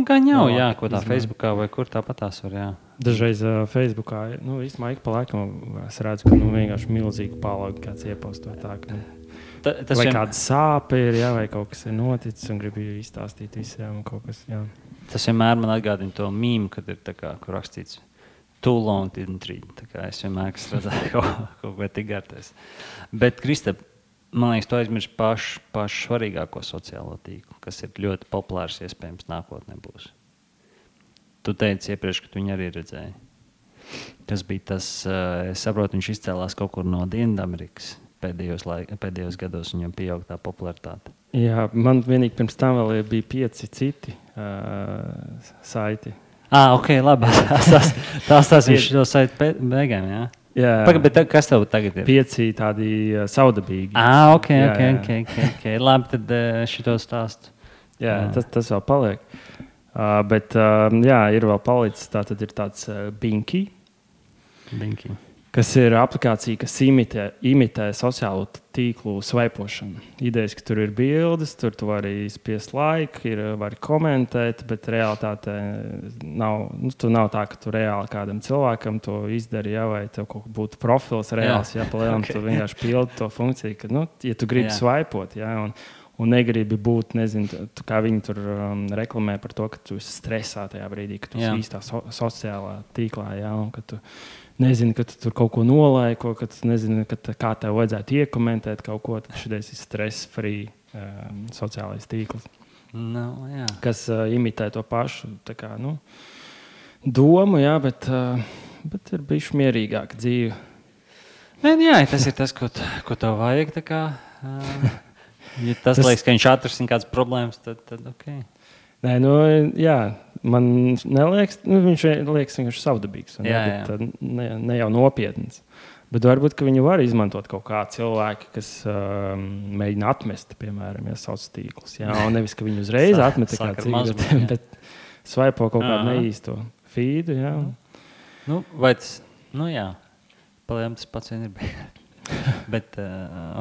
Gan jau, jā, ko tā Facebookā vai kur tāpat tās var, jā. Dažreiz Facebookā, īstenībā ik pa laikam es redzu, ka vienkārši milzīgi pālaugi kāds ieposto tā, ka vai kāda sāpe ir, jā, vai kaut kas ir noticis un gribu izstāstīt visiem un kaut kas, jā. Tas vienmēr man atgādina to mīmu, kad ir tā kā, kur rakstīts too long didn't read. Tā kā es vienmēr, kas redzēju kaut ko tik gartais. Bet, Kristap, man liekas, tu aizmirsti pašu svarīgāko sociālo tīklu, kas ir ļoti populārs, iespējams, nākotnē būs. Tu teici iepriekš, ka tu viņu arī redzēji. Tas bija tas, es saprotu, viņš izcēlās kaut kur no Dienvidamerikas. Pēdējos gados viņam pieaug tā popularitāte. Jā, man vienīgi pirms tam vēl bija 5 citi saiti. Ok, labi. Tās viņš to saiti beigām, jā? Jā. Bet kas tev tagad ir? 5 tādi saudabīgi. Ok. Labi, tad šito stāstu. Jā, tas vēl paliek. Bet, jā, ir vēl palicis, tā tad ir tāds Binky. Kas ir aplikācija, kas imitē sociālo tīklu svaipošanu. Idejas, ka tur ir bildes, tur tu vari spiest laiku, vari komentēt, bet realitātē nav tā, ka tu reāli kādam cilvēkam to izdari, jā, vai tev kaut būtu profils reāls, jā, palielam, tu vienkārši pildi to funkciju, ka, ja tu gribi svaipot, jā, un negribi būt, nezinu, kā viņi tur reklamē par to, ka tu esi stresā tajā brīdī, ka tu esi īstā sociālā tīklā, jā, un ka tu nezini, ka tu tur kaut ko nolaiko, ka tu nezini, kā tev vajadzētu iekomentēt kaut ko. Tad šis ir stress-free sociālais tīkls, kas imitē to pašu kā, domu, jā, bet ir bijuši mierīgāka dzīve. Jā, tas ir tas, ko tev vajag. Ja tas liekas, ka viņš atrisina kādas problēmas, tad ok. Nē, jā, man neliekas, viņš liekas vienkārši savdabīgs. Ne jau nopietns. Bet varbūt, ka viņu var izmantot kaut kā cilvēki, kas mēģina atmest, piemēram, sauc tīklus. Jā, un nevis, ka viņi uzreiz atmet kā cīņu, bet svaipo kaut kādu neīsto feedu. Jā. Vai tas, jā, palējām tas pats vien ir bijis. Bet,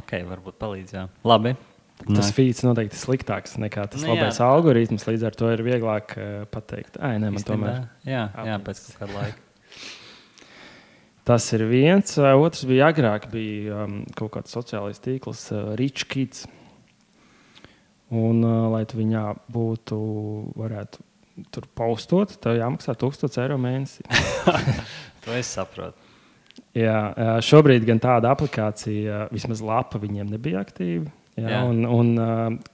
ok, varbūt palīdz, jā. Labi. Tas feeds noteikti ir sliktāks nekā tas labais algoritms, līdz ar to ir vieglāk pateikt. Man tomēr. Jā, pēc kāda laika. Tas ir viens. Otrs bija agrāk, bija kaut kāds sociālais tīkls, Rich Kids. Un, lai tu viņā varētu tur postot, tev jāmaksā 1000 eiro mēnesī. To es saprotu. Jā, šobrīd gan tāda aplikācija, vismaz lapa viņiem nebija aktīva. Jā. Un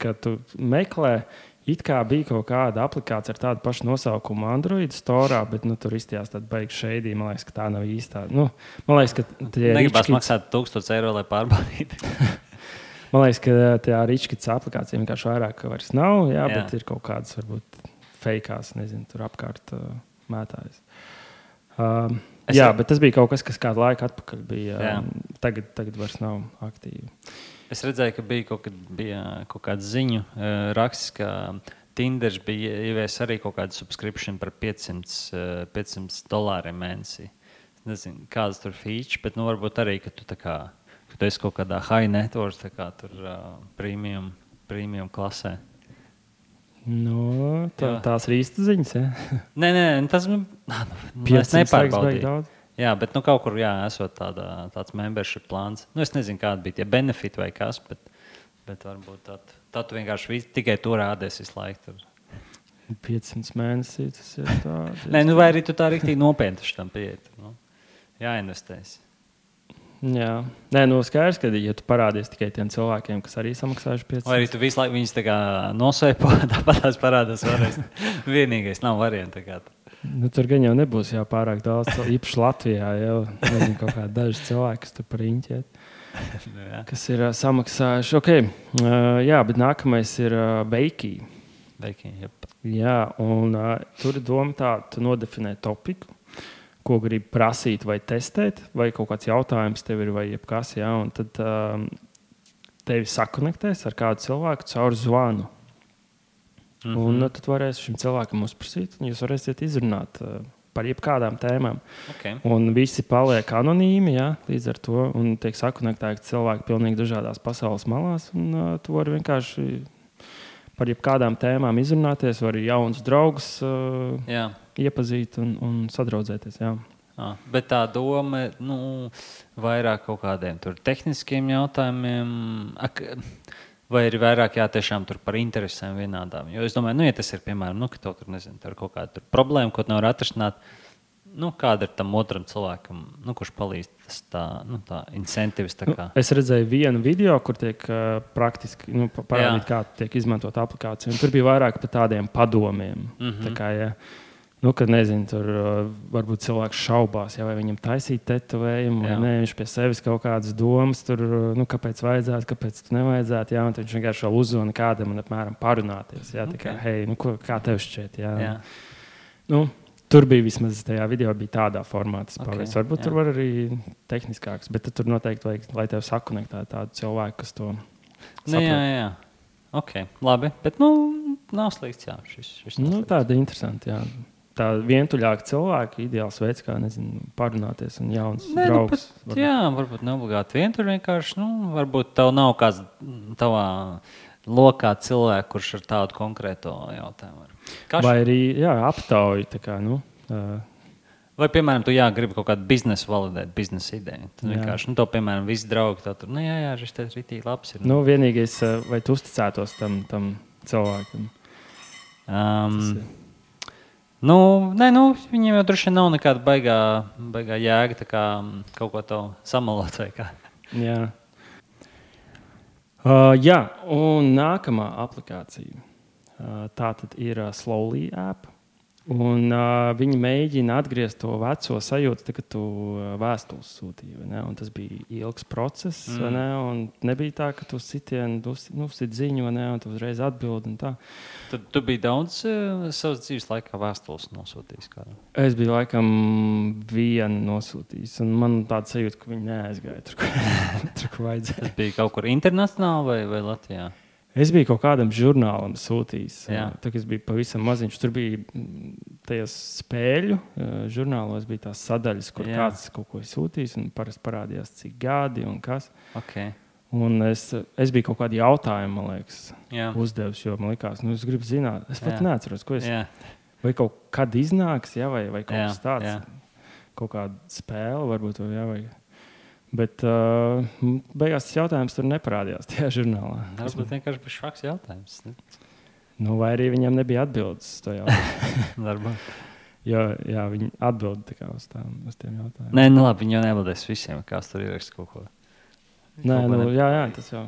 kad tu meklē, it kā bija kaut kāda aplikācija ar tādu pašu nosaukumu Android Store, bet tur izstījās tāda beigas šeidī. Man liekas, ka tā nav īstā. Man liekas, ka tie negribas maksāt 1000 eiro, lai pārbaudītu. Man liekas, ka tā Rich Kids aplikācija vienkārši vairāk vairs nav, jā. Bet ir kaut kādas varbūt fejkās, nezinu, tur apkārt mētājas. Bet tas bija kaut kas kādu laiku atpakaļ bija. Tagad vairs nav aktīvi. Es redzēju, ka bija kaut kāda ziņu raksts, ka Tinders bija ievies arī kaut kādu subscription par $500 mēnesī. Es nezinu, kādas tur feature, bet varbūt arī, ka tu esi kaut kādā high net worth, tur premium klasē. Tās ir īstas ziņas, ja? Nē, tas es nepārbaudīju. Jā, bet kaut kur esot tāds membership plāns. Es nezinu, kāda bija tie benefiti vai kas, bet varbūt tā tu vienkārši tikai to rādies visu laiku. 500 mēnesī tas ir tāds. Nē, vai arī tu tā riktīgi nopietni tam pieiet. Jāinvestēs. Jā. Nē, skaidrs, ka ja tu parādies tikai tiem cilvēkiem, kas arī samaksājuši 500. Vai arī tu visu laiku viņus nosēpo, tāpat tās parādās vēlreiz. Vienīgais nav varianti. Tur gan jau nebūs pārāk daudz, īpaši Latvijā. Nezinu, kaut kādi daži cilvēki, kas tur par riņķiet, kas ir samaksājuši. Okay. Bet nākamais ir Beikī. Jā, un tur ir doma tā, tu nodefinē topiku, ko gribi prasīt vai testēt, vai kaut kāds jautājums tev ir vai jebkas, un tad tevi sakonektēs ar kādu cilvēku caur zvanu. Un tad varēs šim cilvēkam uzprasīt, un jūs varēsiet izrunāt par jebkādām tēmām. Okay. Un visi paliek anonīmi, līdz ar to, un tiek sakonektēti cilvēki pilnīgi dažādās pasaules malās, un tu vari vienkārši par jebkādām tēmām izrunāties, var arī jaunus draugus iepazīt un sadraudzēties. Jā. Bet tā doma vairāk kaut kādiem tehniskiem jautājumiem, vai ir vairāk tiešām tur par interesēm vienādām. Jo es domāju, ja tas ir, piemēram, ka tev tur, nezinu, tur ir kaut kāda problēma, ko nevar atrisināt, kāda ir tam otram cilvēkam, kurš palīdz tā incentives. Es redzēju vienu video, kur tiek praktiski parādīt, kā tiek izmantot aplikāciju. Un tur bija vairāk par tādiem padomiem. Tā kā, kad nezinu, tur varbūt cilvēks šaubās, vai viņam taisīt tetovējumu, vai nē, viņš pie sevis kaut kādas domas, tur, kāpēc vajadzētu, kāpēc tu nevajadzētu, un viņš vienkārši vēl uzzvana kādam un apmēram parunāties. Tā kā, kā tev šķiet, tur bija vismaz tajā video bija tādā formātā. Varbūt tur var arī tehniskāks, bet tur noteikti vajag, lai tev sakonektē tādu cilvēku, kas to saprot. Jā. Ok, labi, bet nav slikts, šis tāda interesanti, Tā vientuļāka cilvēka ideāls veids, kā parunāties un jauns draugs. Varbūt neobligāti vientuļ vienkārši. Varbūt tev nav kāds tavā lokā cilvēks, kurš ar tādu konkrēto jautājumu. Vai arī aptauja. Vai, piemēram, tu gribi kaut kādu biznesu validēt, biznesa ideju. Tad vienkārši, to, piemēram, visi draugi tā tur, šis te ritīgi labs ir. Vienīgais, vai tu uzticētos tam cilvēkam? Viņiem jau droši vien nav nekāda baigā jēga tā kā kaut ko to samalot vai kā. Jā. Un nākamā aplikācija. Tā tad ir Slowly app. Un viņi mēģina atgriezt to veco sajūtu, kad tu vēstules sūtīji. Un tas bija ilgs process. Un nebija tā, ka tu sit ziņu, un tu uzreiz atbildi. Tad tu biji daudz savas dzīves laikā vēstules nosūtījis kādam? Es biju laikam vienu nosūtījis. Un man tāda sajūta, ka viņi neaizgāja tur, kur vajadzēja. Tas bija kaut kur internacionāli vai Latvijā? Es biju kaut kādam žurnālam sūtījis. Tad es biju pavisam maziņš. Tur bija tajos spēļu žurnālos bija tās sadaļas, kur kāds kaut ko sūtījis. Parasti parādījās, cik gadi un kas. Okay. Un es biju kaut kādu jautājumu, man liekas, uzdevis, jo man likās, es gribu zināt. Es pat neatceros, ko es. Vai kaut kad iznāks, vai kaut kas tāds. Kaut kāda spēle varbūt. Bet beigās tas jautājums tur neparādījās tajā žurnālā. Tas vienkārši bija švaks jautājums. Vai arī viņam nebija atbildes uz to jautājumu. Jā, viņi atbild uz tiem jautājumiem. Nē, labi, viņi jau neatbildēs visiem, kāds tur ierakst kaut ko. Tas jau.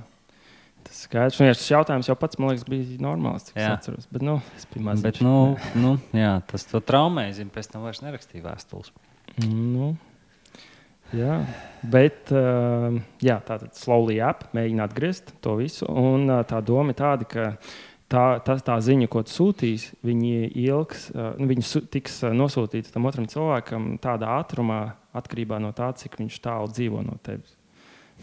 Tas skaidrs. Un tas jautājums jau pats, man liekas, bija normāls, cik es atceros. Bet, es biju maziņš. Bet, tas to traumēja, pēc tam vairs nerakstīja vēstules. Jā, bet tātad Slowly app mēģina atgriezt to visu. Un tā doma ir tāda, ka tā ziņa, ko tu sūtīsi, viņi tiks nosūtīta tam otram cilvēkam tādā ātrumā, atkarībā no tā, cik viņš tālu dzīvo no tevis.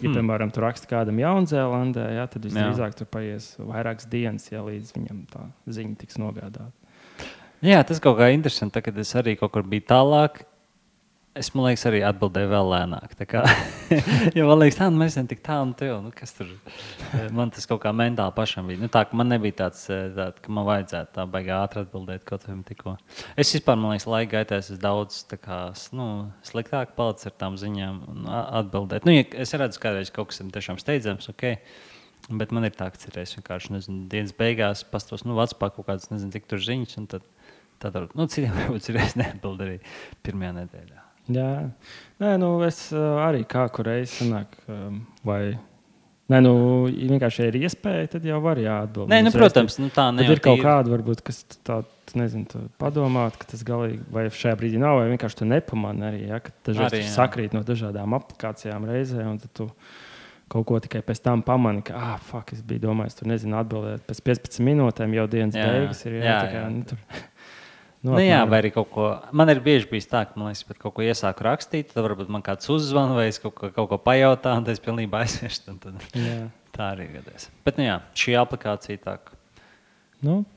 Ja, piemēram, tu raksti kādam Jaunzēlandē, tad visdrīzāk tur paies vairākas dienas, līdz viņam tā ziņa tiks nogādāta. Jā, tas kaut kā interesanti, kad es arī kaut kur biju tālāk. Es, man liekas, arī atbildēju vēl lēnāk. Jo man liekas, mēs esam tik tālu no tev. Kas tur? Man tas kaut kā mentāli pašam bija. Tā, ka man nebija tāds, ka man vajadzētu tā baigā ātri atbildēt kaut kam tikko. Es vispār, man liekas, laika gaitā esmu daudz sliktāk palicis ar tām ziņām un atbildēt. Ja es redzu, kādreiz kaut kas ir tiešām steidzams, bet man ir tā, ka es vienkārši, dienas beigās pastos, Vācijā kaut kādas, cik tur ziņas, un tad citiem varbūt ir neatbild arī pirmajā nedēļā. Jā, es arī kā kur reiz sanāk, vai vienkārši ir iespēja, tad jau var atbildēt. Protams, tā ne. Tad ir kaut kāda, varbūt, kas tā, padomāt, ka tas galīgi, vai šajā brīdī nav, vai vienkārši tu nepamani arī, ka dažreiz sakrīt no dažādām aplikācijām reizē, un tad tu kaut ko tikai pēc tam pamani, ka, es biju domājis, tur atbildēt, pēc 15 minūtēm jau dienas beigas ir, vai arī kaut ko. Man ir bieži bijis tā, ka man liekas, pat kaut ko iesāku rakstīt, tad varbūt man kāds uzzvan vai es kaut ko pajautā, un tad es pilnībā aizmirstu. Tā arī gadās. Bet, šī aplikācija tā.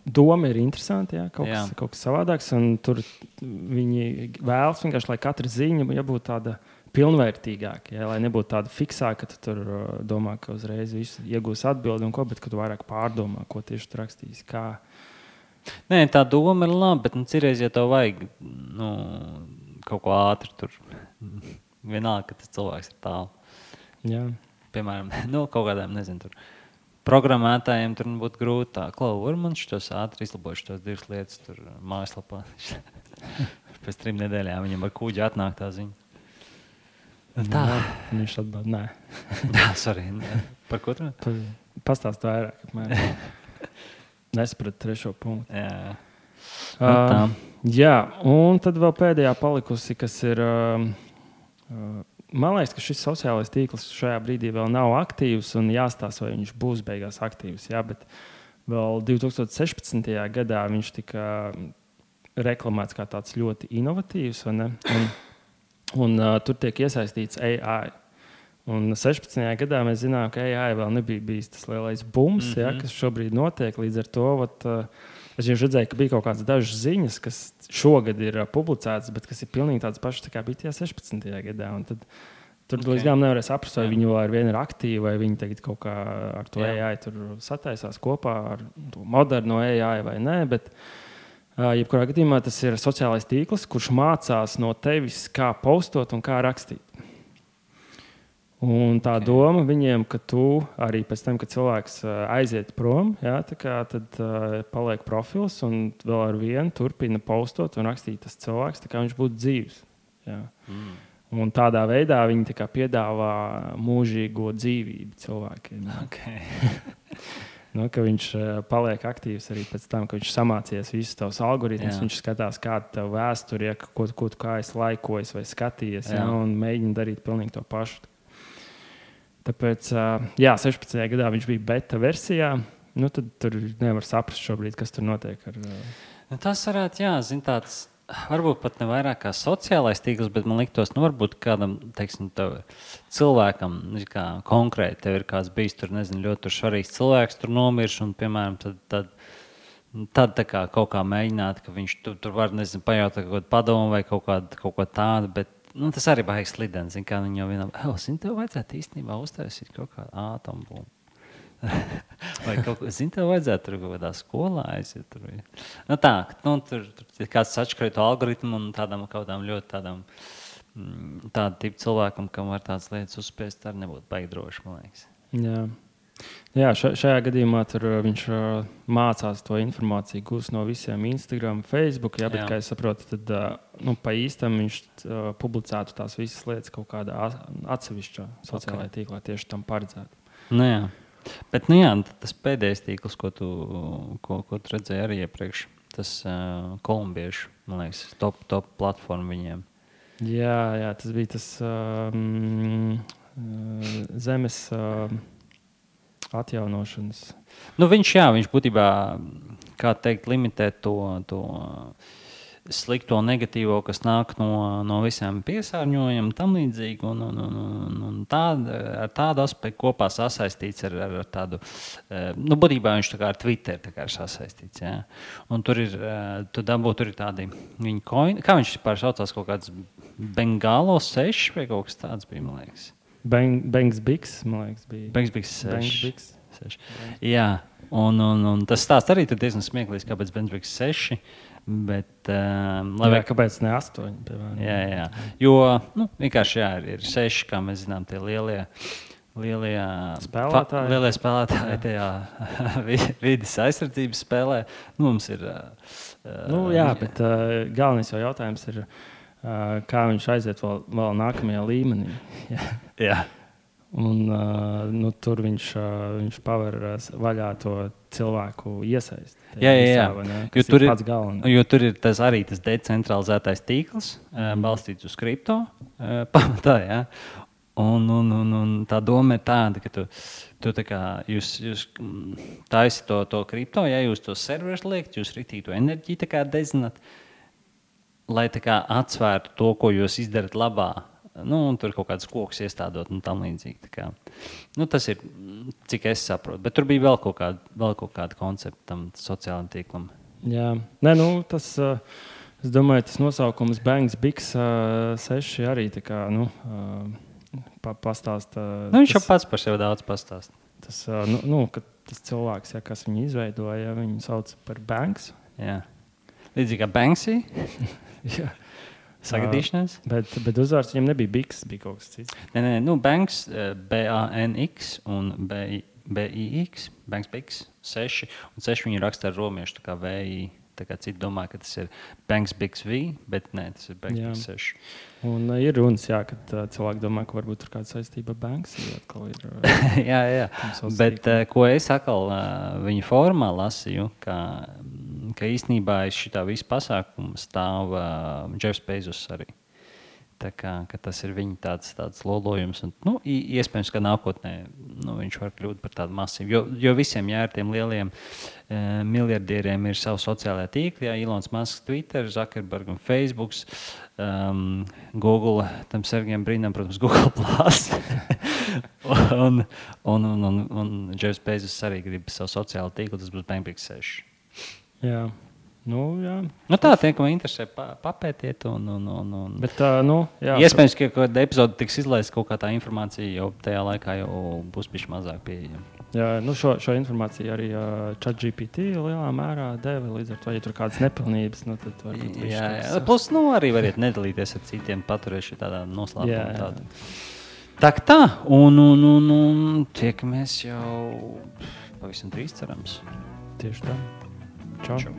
Doma ir interesanti, kaut kas savādāks, un tur viņi vēlas vienkārši, lai katra ziņa būtu tāda pilnvērtīgāka, lai nebūtu tāda fiksāka, ka tu tur domā, ka uzreiz visu iegūs atbildi un ko, bet ka tu vairāk pārdomā, ko tieši tu rakstīsi, kā. Nē, tā doma ir laba, bet cirreiz, ja tev vajag kaut ko ātri, tur vienalga, ka tas cilvēks ir tālu. Jā. Piemēram, kaut kādām, tur programmētājiem tur būtu grūti tā. Var man šitos ātri izlabojuši tos divas lietas tur mājaslapā. Pēc 3 nedēļām viņam ar kūģi atnāk tā ziņa. Tā. Viņš atbild, nē. Sorry. Par ko tu? Pastāst vairāk, apmēram. Nesapratu trešo punktu. Jā, un tad vēl pēdējā palikusi, kas ir. Man liekas, ka šis sociālais tīkls šajā brīdī vēl nav aktīvs un jāstāsta, vai viņš būs beigās aktīvs. Jā, bet vēl 2016. gadā viņš tika reklamēts kā tāds ļoti inovatīvs. Un tur tiek iesaistīts AI. Un 16. gadā mēs zinām, ka AI vēl nebija bijis tas lielais bums, kas šobrīd notiek. Līdz ar to es jau redzēju, ka bija kaut kādas dažas ziņas, kas šogad ir publicētas, bet kas ir pilnīgi tādas pašas, kā bija tajā 16. gadā. Un tad tur līdz galam nevarēja saprast, vai viņi vēl ar vienu ir aktīvi, vai viņi tagad kaut kā ar to AI tur sataisās kopā ar to moderno AI vai nē. Bet jebkurā gadījumā tas ir sociālais tīkls, kurš mācās no tevis, kā postot un kā rakstīt. Un tā doma viņiem, ka tu arī pēc tam, kad cilvēks aiziet prom, jā, tad paliek profils un vēl ar vienu turpina postot un rakstīt tas cilvēks, tā kā viņš būtu dzīvs. Jā. Un tādā veidā viņi piedāvā mūžīgo dzīvību cilvēkiem. Okay. Ka viņš paliek aktīvs arī pēc tam, kad viņš samācies visus tavus algoritmus. Viņš skatās, kāda tev vēsture, ko tu kā esi laikojis vai skatījies, un mēģina darīt pilnīgi to pašu. Tāpēc, 16. gadā viņš bija beta versijā. Tad tur nevar saprast šobrīd, kas tur notiek. Tas varētu, tāds, varbūt pat ne vairāk kā sociālais tīkls, bet man liktos, varbūt kādam, teiksim, cilvēkam, kā konkrēti, tev ir kāds bijis tur, nezinu, ļoti svarīgs cilvēks, tur nomirš, un, piemēram, tad tā kā kaut kā mēģināt, ka viņš tur var, nezinu, pajautāt kaut kādu padomu vai kaut ko tādu, bet tas arī baigs slidens, kā viņi jau vienam, tev vajadzētu īstenībā uztaisīt kaut kādu ātombumbu. Vai kaut ko, tev vajadzētu tur kaut kādā skolā aiziet. Tur kāds atšķirītu algoritmu un kādām ļoti tādu tipu cilvēkam, kam var tādas lietas uzspiest, arī nebūtu baigi droši, man liekas. Jā, šajā gadījumā viņš mācās to informāciju gūst no visiem Instagram, Facebook, bet, kā es saprotu, tad pa īstam viņš publicētu tās visas lietas kaut kādā atsevišķā sociālajā tīklā tieši tam paredzētu. Bet tas pēdējais tīkls, ko tu redzēji arī iepriekš, tas kolumbiešu, man liekas, top platforma viņiem. Jā, tas bija tas zemes atjaunošanas. Viņš būtībā, kā teikt, limitē to slikto, negatīvo, kas nāk no visiem piesārņojumiem, tam līdzīgi, un ar tādu aspektu kopā sasaistīts ar tādu, būtībā viņš tā kā ar Twitter tā kā ir sasaistīts, jā. Un tur ir, tur ir tādi viņa coin, kā viņš vispār saucās, kaut kāds Bengalo 6 vai kaut kas tāds bija, man liekas. Banks Bigs, man liekas, bija. Banks Bigs 6. Jā, un tas stāsts arī tur diezgan smieklīgs, kāpēc Banks Bigs 6. Bet, kāpēc ne 8? Piemēram. Jā. Jo vienkārši ir 6, kā mēs zinām, tie lielie spēlētāji tajā vides aizsardzības spēlē. Mums ir. Bet galvenais jau jautājums ir, kā viņš aiziet vēl nākamajā līmenī. Jā. Un tur viņš paver vaļā to cilvēku iesaist. Jā. Jo tur ir arī tas decentralizētais tīkls, balstīts uz kripto pamatā. Jā. Un tā doma ir tāda, ka tu tā kā jūs taisi to kripto, ja jūs to serverus liekat, jūs ritīgi to enerģiju tā kā dezināt, lai tā kā atsvērtu to, ko jūs izdarat labā. Un tur kaut kādas kokus iestādot un tam līdzīgi. Tas ir, cik es saprotu. Bet tur bija vēl kaut kāda koncepta tam sociālajam tīklam. Jā. Tas, es domāju, tas nosaukums Banks Bigs 6 arī tā kā, pastāsta. Viņš jau pats par sevi daudz pastāsta. Tas, ka tas cilvēks, kas viņu izveidoja, viņu sauc par Banks. Jā. Līdzīgi kā Banksy. Jā. Sagadīšanās. Bet uzvārds viņam nebija Bigs, bija kaut kas cits. Nē, Banks, B-A-N-X un B-I-X, Banks Bigs 6, un 6 viņi raksta ar romiešu, tā kā V-I, tā kā citi domā, ka tas ir Banks Bigs V, bet nē, tas ir Banks Bigs 6. Un ir runas, kad cilvēki domā, ka varbūt tur kāda saistība ar Banks. Jā. Bet ko es atkal viņa formā lasīju, ka īstenībā aiz šitā visa pasākuma stāv Jeffs Bezos arī. Tā kā tas ir viņa tāds lolojums. Un, iespējams, ka nākotnē viņš var kļūt par tādu masīvu. Jo visiem ar tiem lieliem miljardieriem ir savu sociālajā tīkli. Ilons Masks, Twitter, Zuckerberg un Facebook, Google, tam Sergejam Brinam, protams, Google Plus. un Jeffs Bezos arī grib savu sociālo tīklu, tas būs Banks Bigs 6. Jā. Jā. Tā tie, ko interesē, papētiet. Bet, iespējams, ka kāda epizode tiks izlaista, kaut kā tā informācija jau tajā laikā jau būs bišķi mazāk pieejama. Jā, šo informāciju arī ChatGPT lielā mērā deva. Līdz ar to, ja tur kādas nepilnības, tad varbūt jā. Plus, arī variet nedalīties ar citiem, paturēšu tādā noslēpumā tādu. Tā, un tiekamies jau pavisam drīz, cerams. Tieši tā. Čau. Čau.